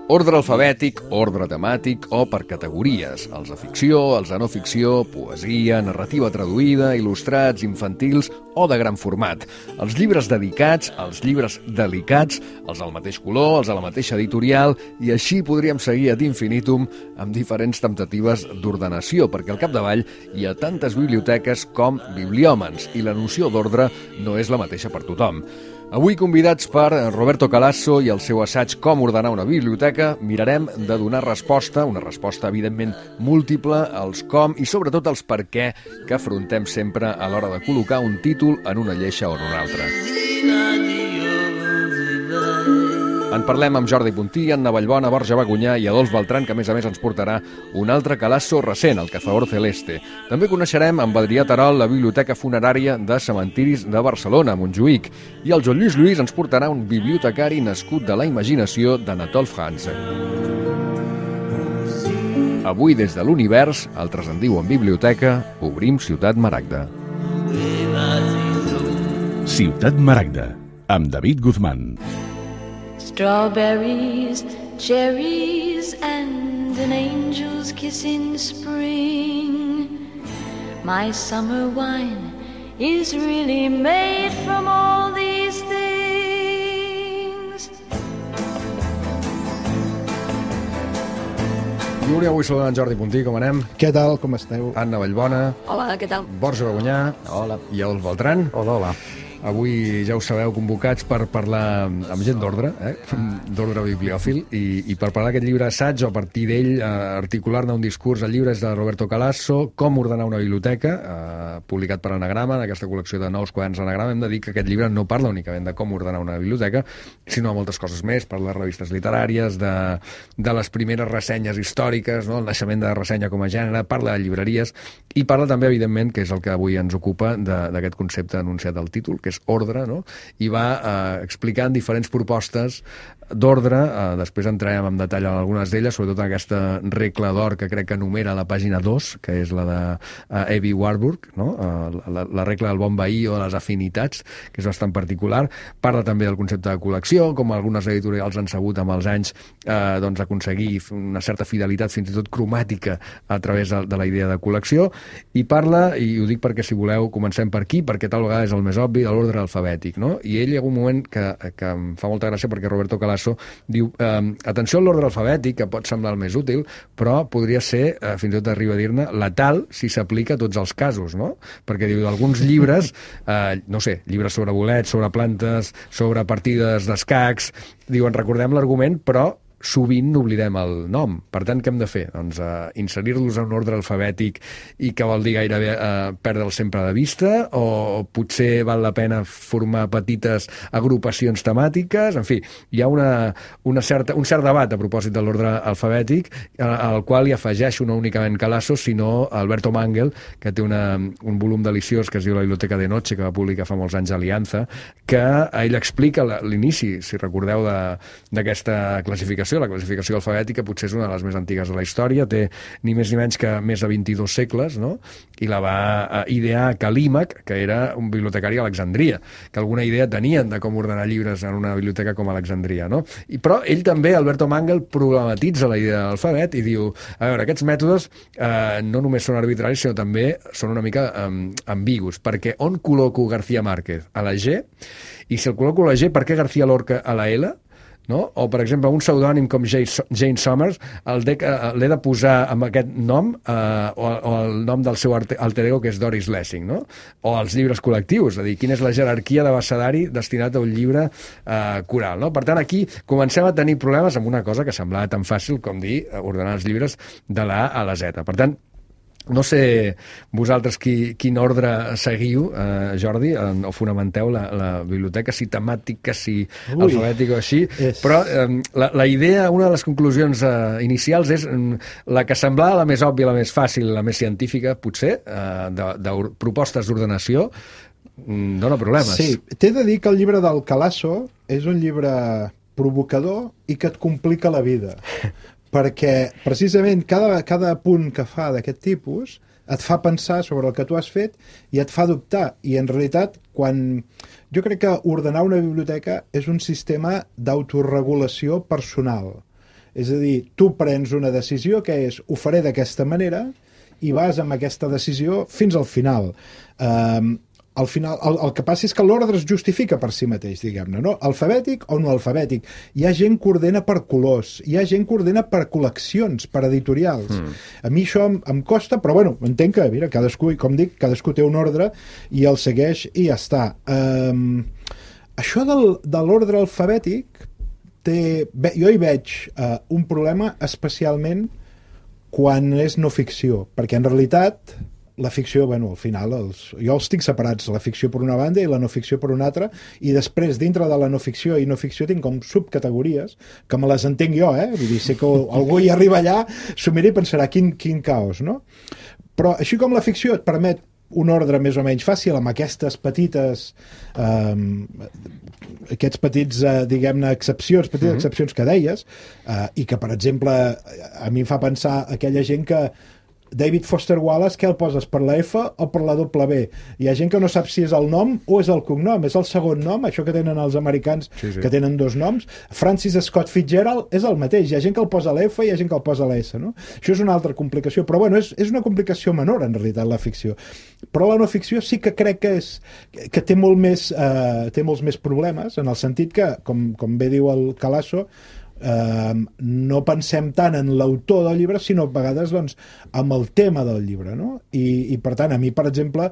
Ordre alfabètic, ordre temàtic o per categories. Els de ficció, els de no ficció, poesia, narrativa traduïda, il·lustrats, infantils o de gran format. Els llibres dedicats, els llibres delicats, els del mateix color, els de la mateixa editorial, i així podríem seguir ad infinitum amb diferents temptatives d'ordenació, perquè al capdavall hi ha tantes biblioteques com bibliòmens i la noció d'ordre no és la mateixa per tothom. Avui, convidats per Roberto Calasso i el seu assaig Com ordenar una biblioteca, mirarem de donar resposta, una resposta evidentment múltiple, als com i sobretot als per què que afrontem sempre a l'hora de col·locar un títol en una lleixa o en una altra. En parlem amb Jordi Puntí, Anna Vallbona, Borja Bagunyà i Adolf Beltran, que a més ens portarà un altre Calasso recent, el Cazador Celeste. També coneixerem amb Adrià Terol la Biblioteca Funerària de Cementiris de Barcelona, a Montjuïc. I el Joan Lluís Lluís ens portarà un bibliotecari nascut de la imaginació d'Anatole France. Avui, des de l'univers, altres en diuen biblioteca, obrim Ciutat Maragda. Ciutat Maragda, amb David Guzmán. Strawberries, cherries, and an angel's kiss in spring. My summer wine is really made from all these things. I avui saludant en Jordi Puntí, com anem? Què tal, com esteu? Anna Vallbona. Hola, què tal? Borja Bagunyà. Hola. I Adolf Beltran. Hola, hola. Avui ja ho sabeu, convocats per parlar amb gent d'ordre, d'ordre bibliòfil, i per parlar d'aquest llibre assaig, o a partir d'ell articular-ne un discurs. El llibre és de Roberto Calasso, Com ordenar una biblioteca, publicat per Anagrama, en aquesta col·lecció de nous quaderns Anagrama. Hem de dir que aquest llibre no parla únicament de com ordenar una biblioteca, sinó de moltes coses més. Parla de revistes literàries, de les primeres ressenyes històriques, no? El naixement de la ressenya com a gènere, parla de llibreries, i parla també, evidentment, que és el que avui ens ocupa, d'aquest concepte anunciat al títol, que és ordre, no? I va explicant diferents propostes d'ordre. Després entrarem en detall en algunes d'elles, sobretot en aquesta regla d'or que crec que numera la pàgina 2, que és la de Abby Warburg, no? La regla del bon veí o de les afinitats, que és bastant particular. Parla també del concepte de col·lecció, com algunes editorials han sabut amb els anys doncs aconseguir una certa fidelitat, fins i tot cromàtica, a través de la idea de col·lecció. I parla, i ho dic perquè si voleu comencem per aquí, perquè tal vegada és el més obvi, de l'ordre alfabètic, no? I ell hi ha un moment que em fa molta gràcia, perquè Roberto Calasso diu, atenció a l'ordre alfabètic, que pot semblar el més útil, però podria ser, fins i tot arriba a dir-ne, letal si s'aplica a tots els casos, no? Perquè diu, d'alguns llibres, no sé, llibres sobre bolets, sobre plantes, sobre partides d'escacs, diuen, recordem l'argument, però sovint n'oblidem el nom. Per tant, què hem de fer? Doncs inserir-los en un ordre alfabètic, i que vol dir gairebé perdre'ls sempre de vista, o potser val la pena formar petites agrupacions temàtiques. En fi, hi ha un cert debat a propòsit de l'ordre alfabètic, al qual hi afegeixo no únicament Calasso, sinó Alberto Mangel, que té un volum deliciós que es diu La Biblioteca de Noche, que va publicar fa molts anys Alianza, que ell explica l'inici, si recordeu, d'aquesta classificació. La classificació alfabètica potser és una de les més antigues de la història, té ni més ni menys que més de 22 segles, no? I la va idear Calímac, que era un bibliotecari a Alexandria, que alguna idea tenien de com ordenar llibres en una biblioteca com Alexandria, no? Però ell també, Alberto Mangel, problematitza la idea de l'alfabet i diu, a veure, aquests mètodes no només són arbitraris, sinó també són una mica ambigus, perquè on col·loco García Márquez? A la G? I si el col·loco a la G, per què García Lorca a la L? No? O, per exemple, un pseudònim com Jane Summers, l'he de posar amb aquest nom o el nom del seu alter ego, que és Doris Lessing, no? O els llibres col·lectius, és a dir, quina és la jerarquia d'abecedari destinat a un llibre coral, no? Per tant, aquí comencem a tenir problemes amb una cosa que semblava tan fàcil com dir ordenar els llibres de la A a la Z. Per tant, no sé vosaltres quin ordre seguiu, Jordi, o fonamenteu la biblioteca, si temàtica, si alfabètica o així, però la idea, una de les conclusions inicials és la que semblava la més òbvia, la més fàcil, la més científica, potser, de propostes d'ordenació, dona problemes. Sí, t'he de dir que el llibre del Calasso és un llibre provocador i que et complica la vida. Perquè precisament cada punt que fa d'aquest tipus et fa pensar sobre el que tu has fet i et fa dubtar. I en realitat, jo crec que ordenar una biblioteca és un sistema d'autoregulació personal. És a dir, tu prens una decisió que és ho faré d'aquesta manera i vas amb aquesta decisió fins al final. Al final, el que passa és que l'ordre es justifica per si mateix, diguem-ne, no? Alfabètic o no alfabètic. Hi ha gent que ordena per colors, hi ha gent que ordena per col·leccions, per editorials. A mi això em costa, però bueno, entenc que, mira, cadascú, com dic, cadascú té un ordre i el segueix i ja està. Això de l'ordre alfabètic jo hi veig un problema especialment quan és no ficció, perquè en realitat la ficció, bueno, al final jo els tinc separats, la ficció per una banda i la no ficció per una altra, i després dintre de la no ficció i no ficció tinc com subcategories que me les entenc jo, vull dir, sé que algú hi arriba allà, s'ho mira i pensarà quin caos, no? Però així com la ficció et permet un ordre més o menys fàcil amb aquestes petites aquests petits, diguem-ne, excepcions que deies, i que, per exemple, a mi em fa pensar aquella gent que David Foster Wallace, què el poses, per la F o per la W? Hi ha gent que no sap si és el nom o és el cognom, és el segon nom, això que tenen els americans, que tenen dos noms. Francis Scott Fitzgerald és el mateix, hi ha gent que el posa a la F i hi ha gent que el posa a la S, no? Això és una altra complicació, però bueno, és una complicació menor en realitat la ficció, però la no ficció sí que crec que té molts més problemes, en el sentit que, com bé diu el Calasso, no pensem tant en l'autor del llibre, sinó a vegades doncs, amb el tema del llibre, no? I per tant, a mi, per exemple,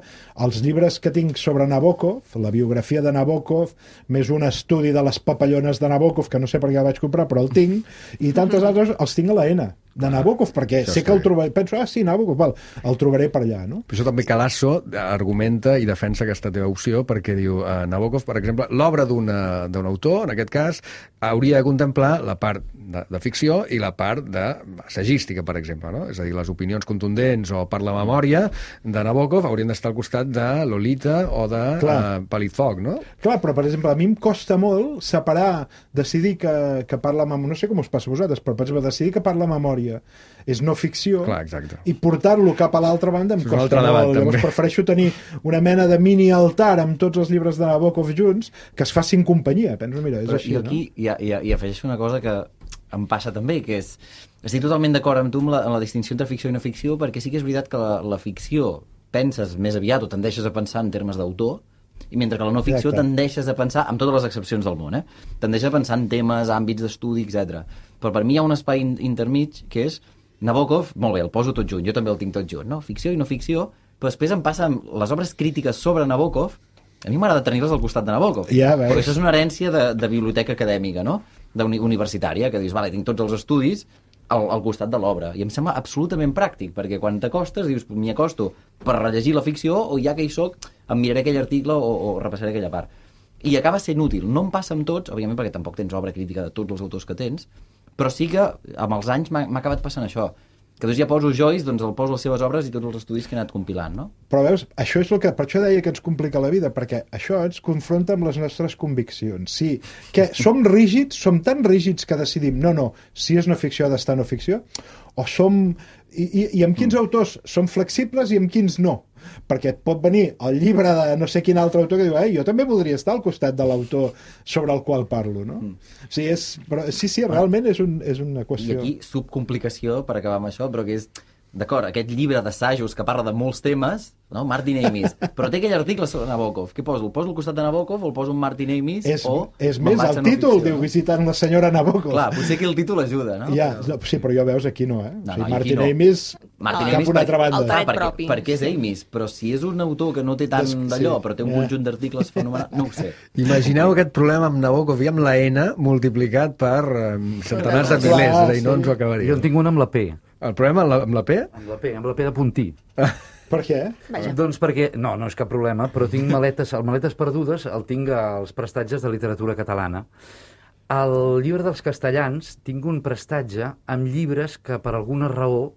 els llibres que tinc sobre Nabokov, la biografia de Nabokov, més un estudi de les papallones de Nabokov, que no sé per què el vaig comprar, però el tinc, i tantes altres els tinc a la N de Nabokov, perquè sé que el trobaré, penso, sí, Nabokov, val, el trobaré per allà, no? Però això també Calasso argumenta i defensa aquesta teva opció, perquè diu, Nabokov, per exemple, l'obra d'un autor, en aquest cas, hauria de contemplar la part de ficció i la part assagística, per exemple, no? És a dir, les opinions contundents o per la memòria de Nabokov haurien d'estar al costat de Lolita o de Palitfoc, no? Clar, però, per exemple, a mi em costa molt separar, decidir que parla memòria, no sé com us passa a vosaltres, però, per exemple, decidir que parla memòria és no ficció. Clar, exacte. I portar-lo cap a l'altra banda em costa molt. Llavors prefereixo tenir una mena de mini altar amb tots els llibres de Nabokov junts que es facin companyia. Penso, mira, és així, no? I aquí hi afegeixo una cosa que em passa també, que és... Estic totalment d'acord amb tu amb la distinció entre ficció i no ficció, perquè sí que és veritat que la ficció penses més aviat o tendeixes a pensar en termes d'autor, i mentre que la no ficció tendeixes a pensar, amb totes les excepcions del món, tendeixes a pensar en temes, àmbits d'estudi, etc. Però per mi hi ha un espai intermig que és Nabokov, molt bé, el poso tot junt, jo també el tinc tot junt, no? Ficció i no ficció, però després em passa amb les obres crítiques sobre Nabokov, a mi m'agrada tenir-les al costat de Nabokov, perquè això és una herència de biblioteca acadèmica, no? Universitària, que dius, vale, tinc tots els estudis al costat de l'obra, i em sembla absolutament pràctic, perquè quan t'acostes dius, m'hi acosto per rellegir la ficció, o ja que hi soc em miraré aquell article o repassaré aquella part, i acaba sent útil. No em passa amb tots, òbviament, perquè tampoc tens obra crítica de tots els autors que tens, però sí que amb els anys m'ha acabat passant això, que doncs ja poso Joyce, doncs el poso les seves obres i tots els estudis que he anat compilant, no? Però veus, això és per això deia que ens complica la vida, perquè això ens confronta amb les nostres conviccions. Sí, que som rígids, som tan rígids que decidim, no, si és no ficció ha d'estar no ficció, o som... I amb quins autors som flexibles i amb quins no. Perquè et pot venir el llibre de no sé quin altre autor que diu, jo també voldria estar al costat de l'autor sobre el qual parlo, no? Sí, realment és una qüestió. I aquí, subcomplicació, per acabar amb això, però que és, d'acord, aquest llibre d'assajos que parla de molts temes, no? Martin Amis, però té aquell article sobre Nabokov. Què poso? El poso al costat de Nabokov o el poso en Martin Amis? És més, el títol diu Visitant la senyora Nabokov. Clar, potser que el títol ajuda, no? Sí, però jo veus aquí no, Martin Amis cap una altra banda. Perquè és Amis, però si és un autor que no té tant d'allò, però té un conjunt d'articles fenomenals, no ho sé. Imagineu aquest problema amb Nabokov i amb la N multiplicat per centenars de milers, és a dir, no ens ho acabaria. Jo en tinc una amb la P. El problema amb la P? Amb la P de puntí. Per què? Doncs perquè, no és cap problema, però tinc maletes perdudes, el tinc als prestatges de literatura catalana. Al llibre dels castellans tinc un prestatge amb llibres que per alguna raó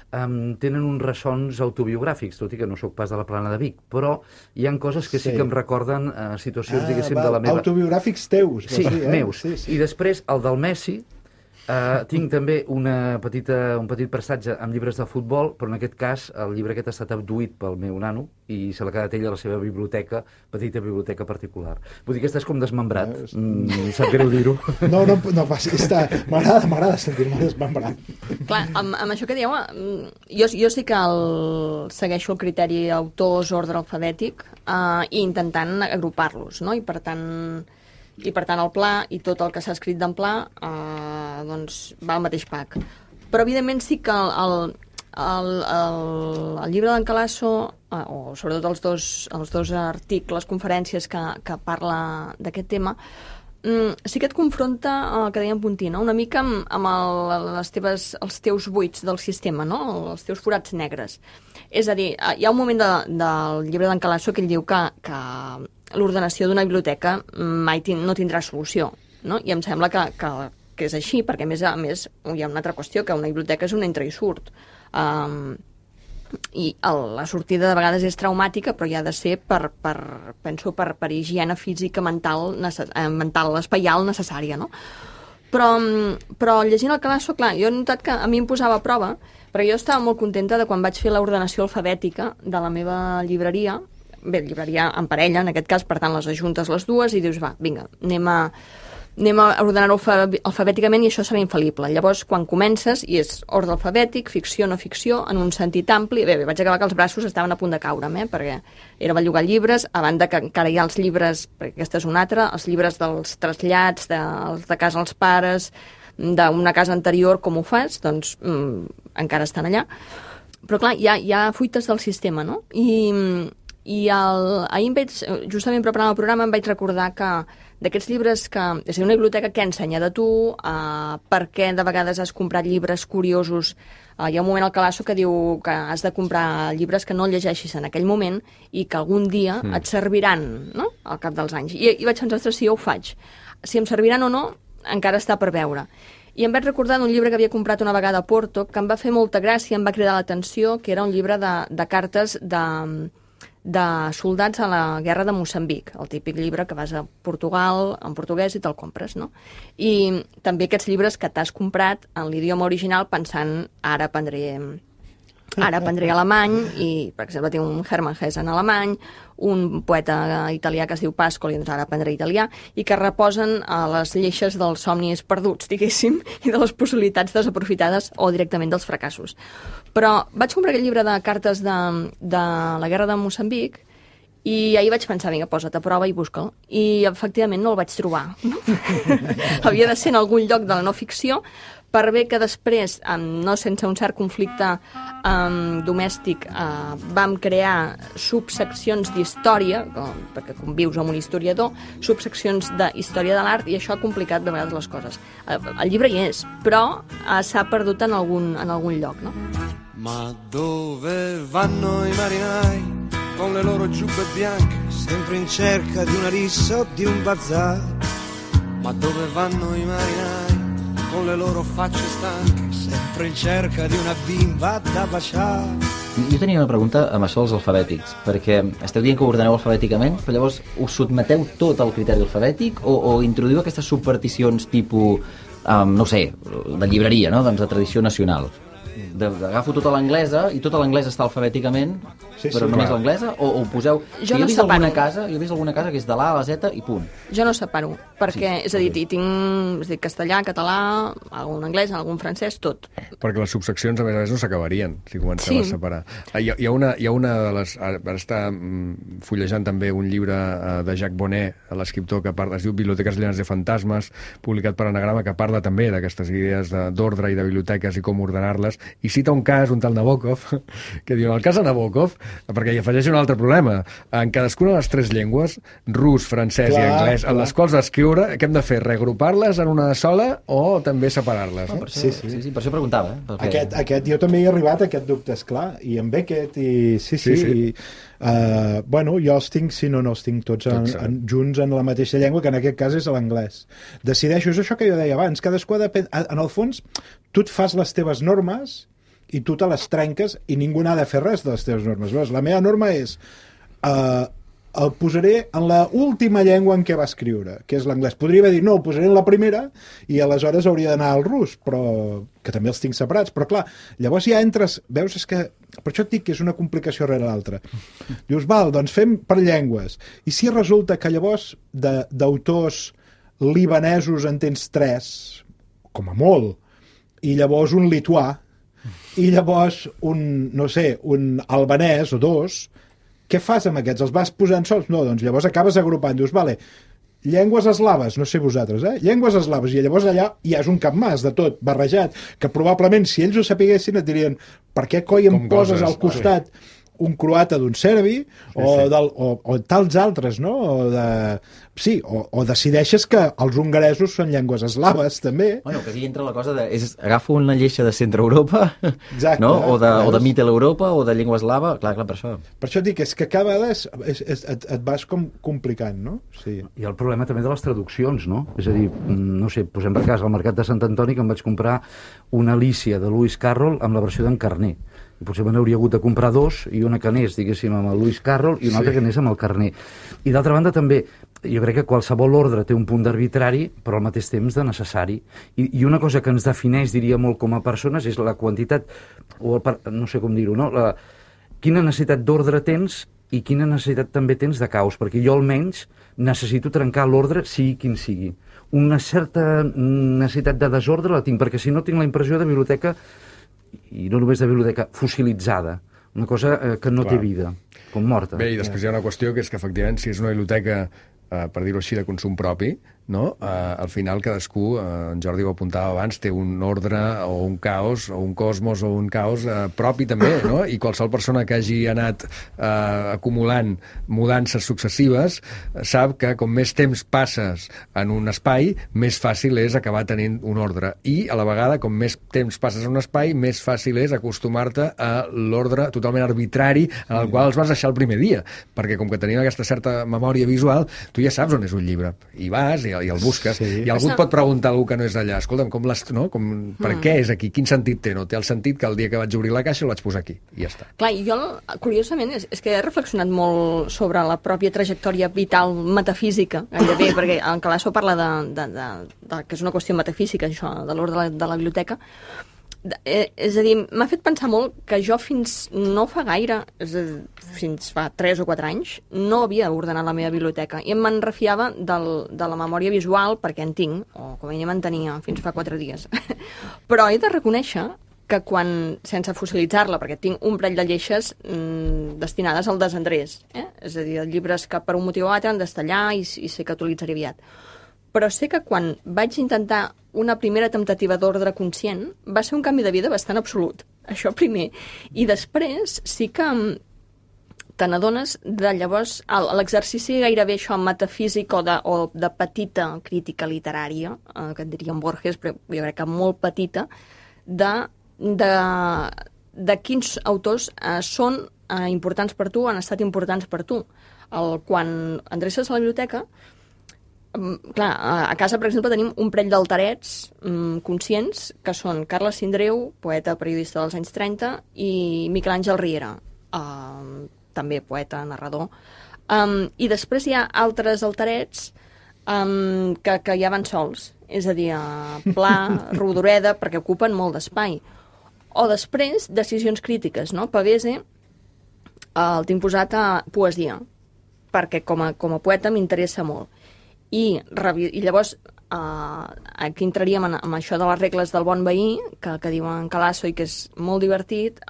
tenen uns ressons autobiogràfics, tot i que no sóc pas de la Plana de Vic, però hi han coses que sí que em recorden situacions, diguéssim, de la meva... Autobiogràfics teus. Sí, meus. I després, el del Messi, Tinc també un petit prestatge amb llibres de futbol, però en aquest cas el llibre aquest ha estat abduït pel meu nano i se l'ha quedat ell a la seva biblioteca, petita biblioteca particular. Vull dir que estàs com desmembrat. Sap greu dir-ho. No passa. M'agrada sentir-me desmembrat. Clar, amb això que dieu, jo sí que segueixo el criteri autors, ordre alfabètic, i intentant agrupar-los, no? I per tant el pla i tot el que s'ha escrit d'en pla doncs va al mateix pack. Però evidentment sí que el llibre d'en Calasso, o sobretot els dos articles, conferències que parla d'aquest tema, sí que et confronta el que deia en Puntí, no? Una mica amb els teus buits del sistema, no? Els teus forats negres. És a dir, hi ha un moment del llibre d'en Calasso que ell diu que l'ordenació d'una biblioteca mai no tindrà solució, no? I em sembla que és així, perquè a més hi ha una altra qüestió, que una biblioteca és un entra i surt. I la sortida de vegades és traumàtica, però hi ha de ser penso per higiene física, mental, espaial necessària, no? Però llegint el Calasso, clar, jo he notat que a mi em posava a prova, perquè jo estava molt contenta de quan vaig fer l'ordenació alfabètica de la meva llibreria, llibreria en parella, en aquest cas, per tant les ajuntes les dues i dius, va, vinga, anem a ordenar-ho alfabèticament i això serà infal·lible. Llavors, quan comences, i és ordre alfabètic, ficció, no ficció, en un sentit ampli, vaig acabar que els braços estaven a punt de caure'm, perquè era bellugar llibres, a banda que encara hi ha els llibres, perquè aquesta és una altra, els llibres dels trasllats, de casa als pares, d'una casa anterior, com ho fas, doncs encara estan allà. Però clar, hi ha fuites del sistema, no? I ahir justament preparant el programa em vaig recordar que d'aquests llibres és una biblioteca que ensenya de tu, per què de vegades has comprat llibres curiosos. Hi ha un moment al Calasso que diu que has de comprar llibres que no llegeixis en aquell moment i que algun dia et serviran, no?, al cap dels anys. I vaig pensar, ostres, si jo ho faig. Si em serviran o no, encara està per veure. I em vaig recordar d'un llibre que havia comprat una vegada a Porto, que em va fer molta gràcia, em va cridar l'atenció, que era un llibre de cartes de soldats a la guerra de Moçambic, el típic llibre que vas a Portugal en portuguès i te'l compres, no? I també aquests llibres que t'has comprat en l'idioma original pensant ara aprendré alemany, i per exemple tinc un Hermann Hesse en alemany, un poeta italià que es diu Pascoli, doncs ara aprendré italià, i que reposen a les lleixes dels somnis perduts, diguéssim, i de les possibilitats desaprofitades o directament dels fracassos. Però vaig comprar aquest llibre de cartes de la guerra de Moçambic i ahir vaig pensar, vinga, posa't a prova i busca'l. I efectivament no el vaig trobar. No? Havia de ser en algun lloc de la no ficció, per bé que després, no sense un cert conflicte domèstic, vam crear subseccions d'història, perquè convius amb un historiador, subseccions d'història de l'art, i això ha complicat de vegades les coses. El llibre hi és, però s'ha perdut en algun lloc, no? Ma dove vanno i marinai con le loro giubbe bianche, sempre in cerca di una rissa o di un bazar? Ma dove vanno i marinai con le loro facce stanche, sempre in cerca di una bimba da baciar? Jo tenia una pregunta amb això dels alfabètics, perquè esteu dient que ho ordeneu alfabèticament, però llavors us sotmeteu tot al criteri alfabètic o introduïu aquestes subparticions tipus, no sé, de llibreria, no?, doncs de tradició nacional? Agafo tota l'anglesa i tota l'anglesa està alfabèticament, però només l'anglesa, o ho poseu... Jo he vist alguna casa que és de l'A a la Z i punt. Jo no separo, perquè, és a dir, tinc castellà, català, algun anglès, algun francès, tot. Perquè les subseccions, a més, no s'acabarien si comencem a separar. Hi ha una de les... Ara està fullejant també un llibre de Jacques Bonnet, l'escriptor, que es diu Biblioteques llenes de fantasmes, publicat per Anagrama, que parla també d'aquestes idees d'ordre i de biblioteques i com ordenar-les, i cita un cas, un tal Nabokov, que diu, en el cas de Nabokov, perquè hi afegeix un altre problema, en cadascuna de les tres llengües, rus, francès i anglès, en les quals va escriure, què hem de fer? Reagrupar-les en una sola o també separar-les? Sí, per això preguntava. Aquest, jo també he arribat a aquest dubte, esclar, i amb Beckett, i sí. Bueno, jo els tinc, si no els tinc tots junts en la mateixa llengua, que en aquest cas és l'anglès. Decideixo, és això que jo deia abans, cadascú depèn, en el fons, tu et fas les teves normes i tu te les trenques i ningú n'ha de fer res de les teves normes. La meva norma és el posaré en la última llengua en què va escriure, que és l'anglès. Podria haver dit, no, el posaré en la primera i aleshores hauria d'anar al rus, però que també els tinc separats. Però clar, llavors ja entres, veus, és que per això et dic que és una complicació rere l'altra. Dius, val, doncs fem per llengües. I si resulta que llavors d'autors libanesos en tens 3, com a molt, i llavors un lituà, i llavors un albanès o 2, què fas amb aquests? Els vas posant sols? No, doncs llavors acabes agrupant. Dius, vale, llengües eslaves, no sé vosaltres, llengües eslaves, i llavors allà hi has un capmàs de tot, barrejat, que probablement si ells ho sapiguessin et dirien, per què coi em poses al costat un croata d'un serbi o tals altres, no? O decideixes que els hongaresos són llengües eslaves, també. Bueno, que aquí entra la cosa de... Agafa una lleixa de centre Europa, exacte, no? O de Mittel Europa, o de llengua eslava, clar, per això. Per això dic, és que cada vegada et vas com complicant, no? Sí. I el problema també de les traduccions, no? És a dir, no sé, posem per cas al Mercat de Sant Antoni que em vaig comprar una Alícia de Lewis Carroll amb la versió d'en Carner. I potser me n'hauria hagut de comprar 2, i una que anés, diguéssim, amb el Lewis Carroll i una altra que anés amb el Carner. I d'altra banda també, jo crec que qualsevol ordre té un punt d'arbitrari, però al mateix temps de necessari. I una cosa que ens defineix, diria molt com a persones, és la quantitat, no sé com dir-ho, no? Quina necessitat d'ordre tens i quina necessitat també tens de caos, perquè jo almenys necessito trencar l'ordre sigui quin sigui. Una certa necessitat de desordre la tinc, perquè si no tinc la impressió de biblioteca, i no només de biblioteca, fossilitzada, una cosa que no té vida, com morta. Bé, i després hi ha una qüestió que és que efectivament si és una biblioteca, per dir-ho així, de consum propi, no? Al final cadascú, en Jordi ho apuntava abans, té un ordre o un caos o un cosmos o un caos propi també, no? I qualsevol persona que hagi anat acumulant mudances successives sap que com més temps passes en un espai, més fàcil és acabar tenint un ordre. I a la vegada, com més temps passes en un espai, més fàcil és acostumar-te a l'ordre totalment arbitrari en el qual els vas deixar el primer dia. Perquè com que tenim aquesta certa memòria visual, tu ja saps on és un llibre. I vas i el busques, sí. I algú et pot preguntar a algú que no és d'allà, escolta'm, per què és aquí? Quin sentit té? No té el sentit que el dia que vaig obrir la caixa el vaig posar aquí, i ja està. Clar, jo, curiosament, és que he reflexionat molt sobre la pròpia trajectòria vital metafísica, gairebé, perquè en Calasso parla de que és una qüestió metafísica, això, de l'ordre de la biblioteca. És a dir, m'ha fet pensar molt que jo fins no fa gaire, fins fa 3 o 4 anys, no havia ordenat la meva biblioteca i me'n refiava de la memòria visual perquè en tinc, o com a mínim en tenia fins fa 4 dies. Però he de reconèixer que quan, sense fossilitzar-la, perquè tinc un parell de lleixes destinades al desendrés, és a dir, llibres que per un motiu o altre han d'estar allà i sé que utilitzaré aviat. Però sé que quan vaig intentar una primera temptativa d'ordre conscient va ser un canvi de vida bastant absolut. Això primer. I després sí que te n'adones de llavors l'exercici gairebé això metafísic o de petita crítica literària, que et diria en Borges, però jo crec que molt petita, de quins autors són importants per tu, han estat importants per tu. Quan endreces a la biblioteca, clar, a casa, per exemple, tenim un parell d'altarets conscients, que són Carles Sindreu, poeta periodista dels anys 30, i Miquel Àngel Riera, també poeta, narrador. I després hi ha altres altarets que ja van sols, és a dir, Pla, Rodoreda, perquè ocupen molt d'espai. O després, decisions crítiques, no? Pavese el tinc posat a poesia, perquè com a poeta m'interessa molt. I llavors aquí entraríem en això de les regles del bon veí, que diuen Calasso i que és molt divertit.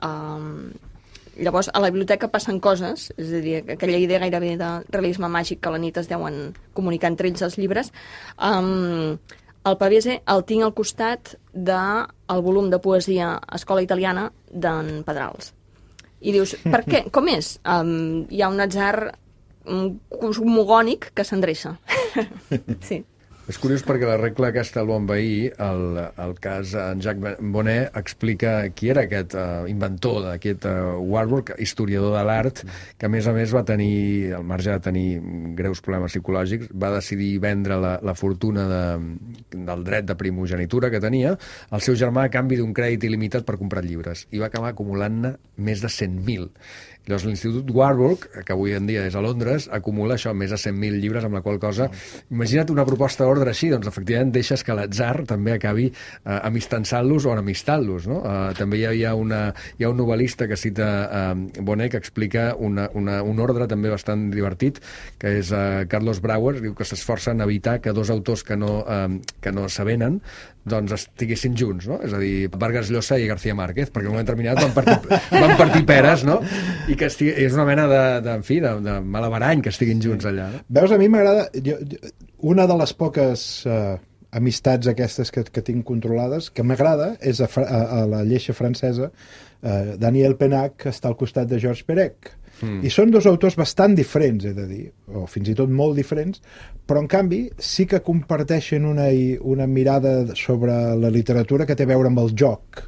Llavors a la biblioteca passen coses, és a dir, aquella idea gairebé de realisme màgic que a la nit es deuen comunicar entre ells els llibres. El Pavese el tinc al costat del volum de poesia Escola Italiana d'en Pedrals. I dius, per què? Com és? Hi ha un atzar cosmogònic que s'endreça. Sí. És curiós perquè la regla aquesta del bon veí, el cas en Jacques Bonnet explica qui era aquest inventor d'aquest Warburg, historiador de l'art, que a més va tenir, al marge de tenir greus problemes psicològics, va decidir vendre la fortuna del dret de primogenitura que tenia al seu germà a canvi d'un crèdit il·limitat per comprar llibres, i va acabar acumulant-ne més de 100.000. Llavors, l'Institut Warburg, que avui en dia és a Londres, acumula això, més de 100.000 llibres, amb la qual cosa... Imagina't una proposta d'ordre així, doncs efectivament deixes que l'atzar també acabi amistançant-los o enemistant-los, no? També hi ha un novel·lista que cita Bonnet, que explica un ordre també bastant divertit, que és Carlos Brauer, diu que s'esforcen a evitar que dos autors que no s'avenen doncs estiguessin junts, no? És a dir, Vargas Llosa i García Márquez, perquè en un moment determinat van partir peres, no? I que és una mena de malabarany que estiguin junts allà, no? Veus, a mi m'agrada... Una de les poques amistats aquestes que tinc controlades, que m'agrada, és a la lleixa francesa, Daniel Pennac, que està al costat de Georges Perec. I són dos autors bastant diferents, he de dir, o fins i tot molt diferents, però en canvi sí que comparteixen una mirada sobre la literatura que té a veure amb el joc.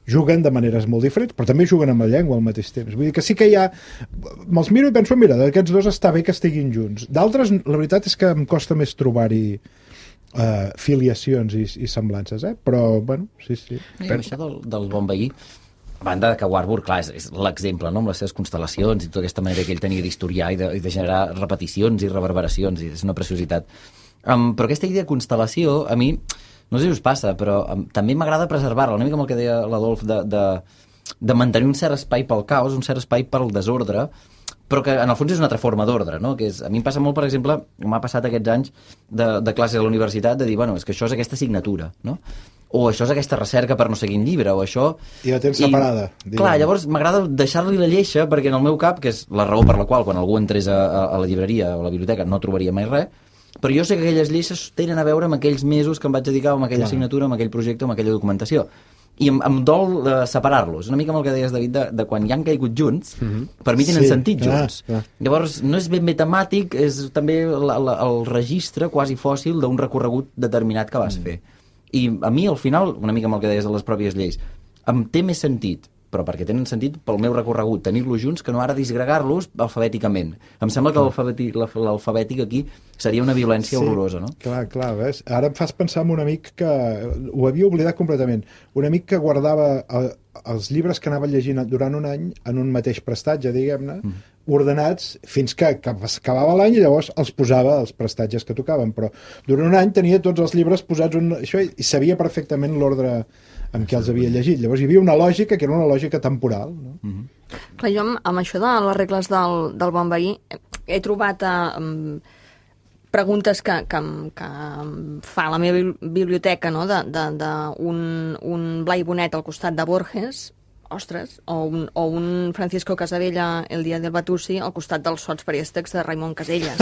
Juguen de maneres molt diferents, però també juguen amb la llengua al mateix temps. Vull dir que sí que hi ha... Me'ls miro i penso, mira, d'aquests dos està bé que estiguin junts. D'altres, la veritat és que em costa més trobar-hi filiacions i semblances, però, bueno, sí. Això del bon veí, a banda que Warburg, clar, és l'exemple, no?, amb les seves constel·lacions i tota aquesta manera que ell tenia d'historiar i de generar repeticions i reverberacions, i és una preciositat. Però aquesta idea de constel·lació, a mi, no sé si us passa, però també m'agrada preservar-la, una mica amb el que deia l'Adolf, de mantenir un cert espai pel caos, un cert espai pel desordre, però que en el fons és una altra forma d'ordre, no? Que és, a mi em passa molt, per exemple, m'ha passat aquests anys de classe a la universitat, de dir, bueno, és que això és aquesta assignatura, no? O això és aquesta recerca per no sé quin llibre, o això... I la tens separada. Clar, llavors m'agrada deixar-li la lleixa, perquè en el meu cap, que és la raó per la qual quan algú entrés a la llibreria o a la biblioteca no trobaria mai res, però jo sé que aquelles lleixes tenen a veure amb aquells mesos que em vaig dedicar a aquella assignatura, a aquell projecte, a aquella documentació. I em dol separar-los. Una mica amb el que deies, David, de quan hi han caigut junts, per mi tenen sentit junts. Llavors, no és ben temàtic, és també el registre quasi fòssil d'un recorregut determinat que vas fer. I a mi, al final, una mica amb el que deies de les pròpies lleis, em té més sentit, però perquè tenen sentit pel meu recorregut, tenir-los junts, que no ara disgregar-los alfabèticament. Em sembla que l'alfabètic aquí seria una violència horrorosa, no? Clar, ves? Ara em fas pensar en un amic que ho havia oblidat completament. Un amic que guardava els llibres que anava llegint durant un any en un mateix prestatge, diguem-ne, ordenats fins que acabava l'any i llavors els posava els prestatges que tocaven, però durant un any tenia tots els llibres posats i sabia perfectament l'ordre amb què els havia llegit. Llavors hi havia una lògica que era una lògica temporal, no? Clar, jo amb això de les regles del bon veí he trobat preguntes que fa la meva biblioteca, no?, d'un Blai Bonet al costat de Borges, ostres, o un Francisco Casabella, El dia del Batusi, al costat dels sots perièstecs de Raimon Caselles.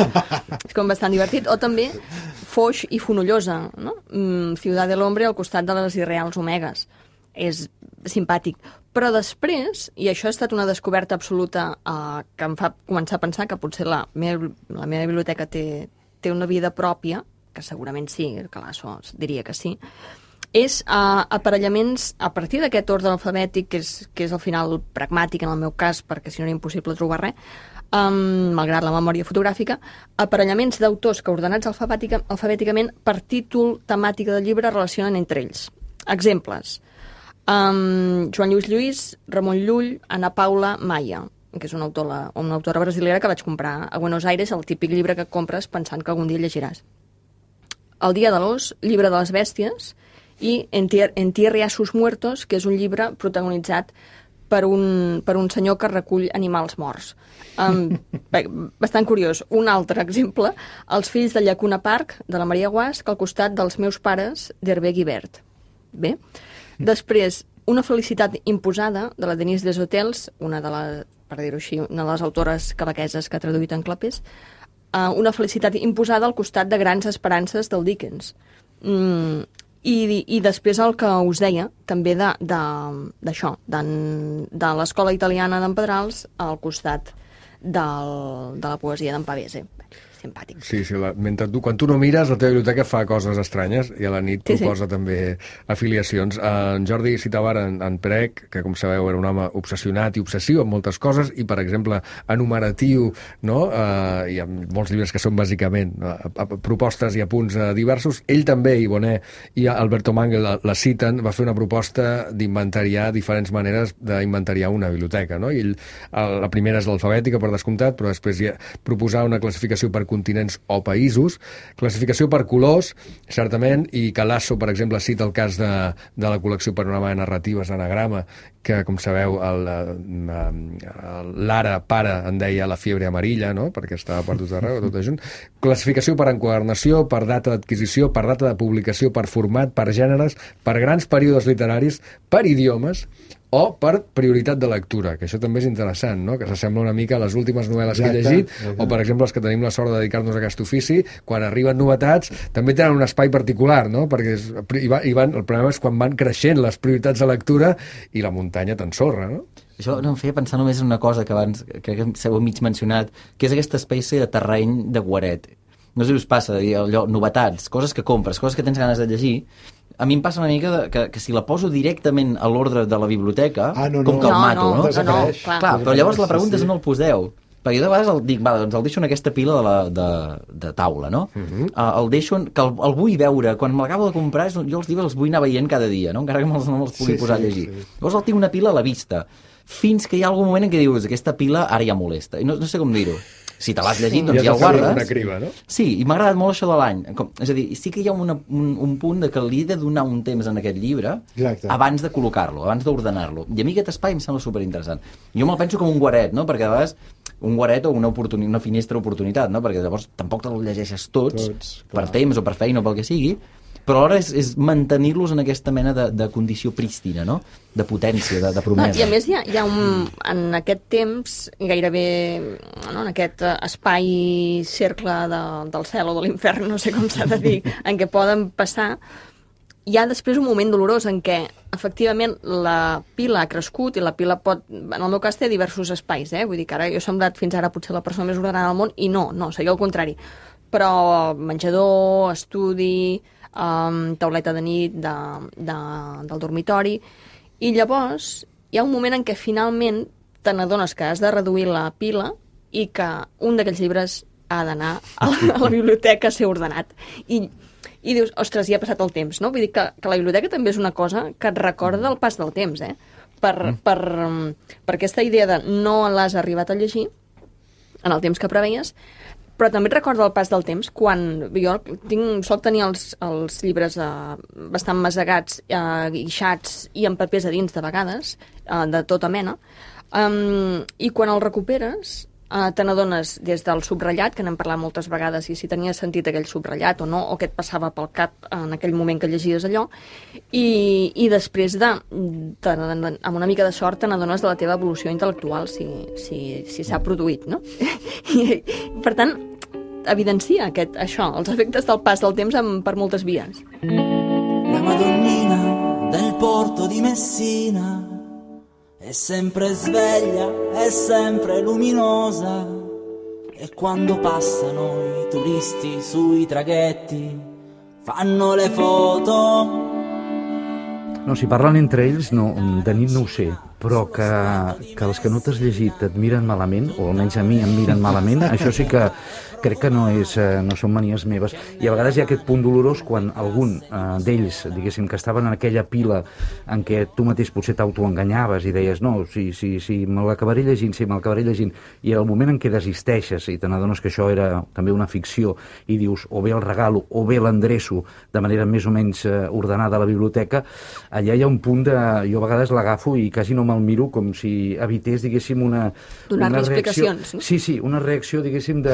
És com bastant divertit. O també Foix i Fonollosa, no? Ciudad del Hombre al costat de les irreals omegues. És simpàtic. Però després, i això ha estat una descoberta absoluta que em fa començar a pensar que potser la meva biblioteca té una vida pròpia, que segurament sí, el Calasso diria que sí, és aparellaments a partir d'aquest ordre alfabètic, que és al final pragmàtic en el meu cas, perquè si no era impossible trobar res, malgrat la memòria fotogràfica, aparellaments d'autors que ordenats alfabèticament per títol, temàtica del llibre, relacionen entre ells. Exemples. Joan Lluís Lluís, Ramon Llull, Ana Paula Maia, que és una autora brasilera que vaig comprar a Buenos Aires, el típic llibre que compres pensant que algun dia llegiràs. El dia de l'os, llibre de les bèsties, i Entierre a sus muertos, que és un llibre protagonitzat per un senyor que recull animals morts. Bastant curiós. Un altre exemple, Els fills de Llacuna Park, de la Maria Guasc, al costat dels meus pares, d'Hervé Guibert. Bé. Després, Una felicitat imposada, de la Denise Deshotels, per dir-ho així, una de les autores quebequeses que ha traduït en clapés, Una felicitat imposada al costat de Grans esperances del Dickens. I després el que us deia, també d'això, de l'escola italiana d'en Pedrals al costat de la poesia d'en Pavese. simpàtic. Sí, mentre quan tu no mires, la teva biblioteca fa coses estranyes i a la nit proposa també afiliacions. En Jordi citava ara en Perec, que com sabeu era un home obsessionat i obsessiu amb moltes coses i, per exemple, enumeratiu, no? Hi ha molts llibres que són bàsicament propostes i apunts diversos. Ell també, i Bonet i Alberto Mangel la citen, va fer una proposta d'inventariar diferents maneres d'inventariar una biblioteca, no? I la primera és l'alfabètica, per descomptat, però després hi ha proposar una classificació per continents o països, classificació per colors, certament, i Calasso, per exemple, cita el cas de la col·lecció Panorama de Narratives, Anagrama, que, com sabeu, l'Ara pare en deia la fiebre amarilla, no?, perquè estava per tot arreu, tot junt. Classificació per enquadernació, per data d'adquisició, per data de publicació, per format, per gèneres, per grans períodes literaris, per idiomes, o per prioritat de lectura, que això també és interessant, no?, que s'assembla una mica a les últimes novel·les que he llegit, o, per exemple, els que tenim la sort de dedicar-nos a aquest ofici, quan arriben novetats, també tenen un espai particular, no?, perquè el problema és quan van creixent les prioritats de lectura i la muntanya t'ensorra, no? Això no em feia pensar només en una cosa que abans, que s'heu mig mencionat, que és aquesta espècie de terreny de guaret. No sé si us passa, allò, novetats, coses que compres, coses que tens ganes de llegir. A mi em passa una mica que si la poso directament a l'ordre de la biblioteca, com que el mato, no? Clar, però llavors la pregunta és on el poseu. Perquè jo de vegades dic, doncs el deixo en aquesta pila de taula, no? El deixo, que el vull veure. Quan me l'acabo de comprar, jo els llibres els vull anar veient cada dia, no?, encara que no me'ls pugui posar a llegir. Llavors el tinc una pila a la vista, fins que hi ha algun moment en què dius, aquesta pila ara ja molesta. I no sé com dir-ho. Si te l'has llegit, doncs ja el guardes. Una criba, no? Sí, i m'ha agradat molt això de l'any. És a dir, sí que hi ha un punt de que li he de donar un temps en aquest llibre abans de col·locar-lo, abans d'ordenar-lo. I a mi aquest espai em sembla superinteressant. Jo me'l penso com un guaret, no?, perquè a vegades un guaret o una finestra oportunitat, no?, perquè llavors tampoc te'l llegeixes tots per temps o per feina o pel que sigui, però alhora és mantenir-los en aquesta mena de condició prístina, no?, de potència, de promesa. I a més hi ha en aquest temps, gairebé en aquest espai cercle del cel o de l'infern, no sé com s'ha de dir, en què poden passar, hi ha després un moment dolorós en què efectivament la pila ha crescut i la pila pot, en el meu cas té diversos espais, vull dir que ara jo he semblat fins ara potser la persona més ordenada del món i no, seria el contrari, però menjador, estudi, tauleta de nit del dormitori, i llavors hi ha un moment en què finalment te n'adones que has de reduir la pila i que un d'aquells llibres ha d'anar a la biblioteca a ser ordenat. I dius, ostres, ja ha passat el temps, no? Vull dir que la biblioteca també és una cosa que et recorda el pas del temps, per aquesta idea de no l'has arribat a llegir en el temps que preveies, però també et recorda el pas del temps quan jo soc tenir els llibres bastant masegats, guixats i amb papers a dins de vegades, de tota mena, i quan els recuperes te n'adones des del subratllat, que n'hem parlat moltes vegades, i si tenia sentit aquell subratllat o no, o què et passava pel cap en aquell moment que llegies allò, i després amb una mica de sort te n'adones de la teva evolució intel·lectual, si s'ha produït, no? I, per tant, evidencia això, els efectes del pas del temps per moltes vies. La Madonnina del porto di Messina è sempre sveglia, è sempre luminosa, e quando passano i turisti sui traghetti fanno le foto. No, si parlen entre ells, de nit no ho sé, però que els que no t'has llegit et miren malament, o almenys a mi em miren malament, això sí que crec que no són manies meves. I a vegades hi ha aquest punt dolorós quan algun d'ells, diguéssim, que estaven en aquella pila en què tu mateix potser t'autoenganyaves i deies, no, si me l'acabaré llegint, i el moment en què desisteixes i te n'adones que això era també una ficció i dius, o bé el regalo o bé l'endreço de manera més o menys ordenada a la biblioteca, allà hi ha un punt de... Jo a vegades l'agafo i quasi no me'l miro, com si evités, diguéssim, una reacció... No? Sí, una reacció, diguéssim,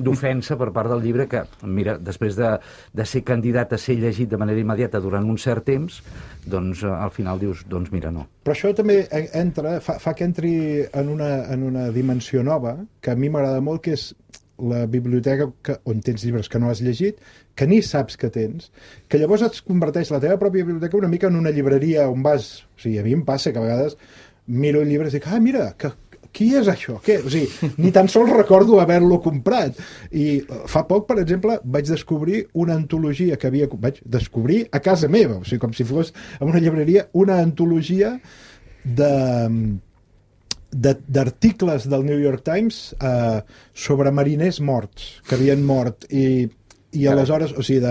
d'ofensa per part del llibre que, mira, després de ser candidat a ser llegit de manera immediata durant un cert temps, doncs al final dius, doncs mira, no. Però això també fa que entri en una dimensió nova, que a mi m'agrada molt, que és la biblioteca on tens llibres que no has llegit, que ni saps que tens, que llavors et converteix la teva pròpia biblioteca una mica en una llibreria on vas... O sigui, a mi em passa que a vegades miro llibres i dic, mira, qui és això? Què? O sigui, ni tan sols recordo haver-lo comprat. I fa poc, per exemple, vaig descobrir una antologia que vaig descobrir a casa meva, o sigui, com si fos en una llibreria, una antologia d'articles del New York Times sobre mariners morts, que havien mort, i aleshores, o sigui,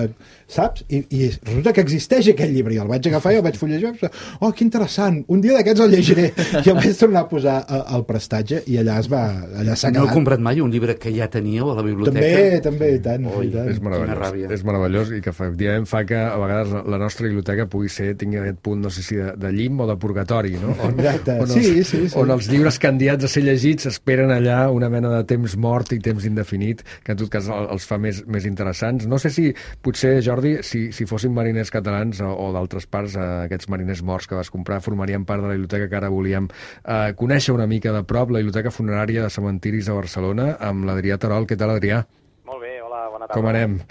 saps? I resulta que existeix aquest llibre, i el vaig agafar i el vaig fullejar, i oh, que interessant, un dia d'aquests el llegiré, i el vaig tornar a posar al prestatge, i allà s'ha quedat. No heu comprat mai un llibre que ja teníeu a la biblioteca? També, i tant. És meravellós, i que efectivament fa que a vegades la nostra biblioteca tingui aquest punt, no sé si de llim o de purgatori, no? On els llibres candidats a ser llegits esperen allà una mena de temps mort i temps indefinit, que en tot cas els fa més interessants. No sé si potser, Jordi, si fossin mariners catalans o d'altres parts, aquests mariners morts que vas comprar formarien part de la biblioteca que ara volíem conèixer una mica de prop, la Biblioteca Funerària de Cementiris a Barcelona, amb l'Adrià Terol. Què tal, Adrià? Molt bé, hola, bona tarda. Com anem?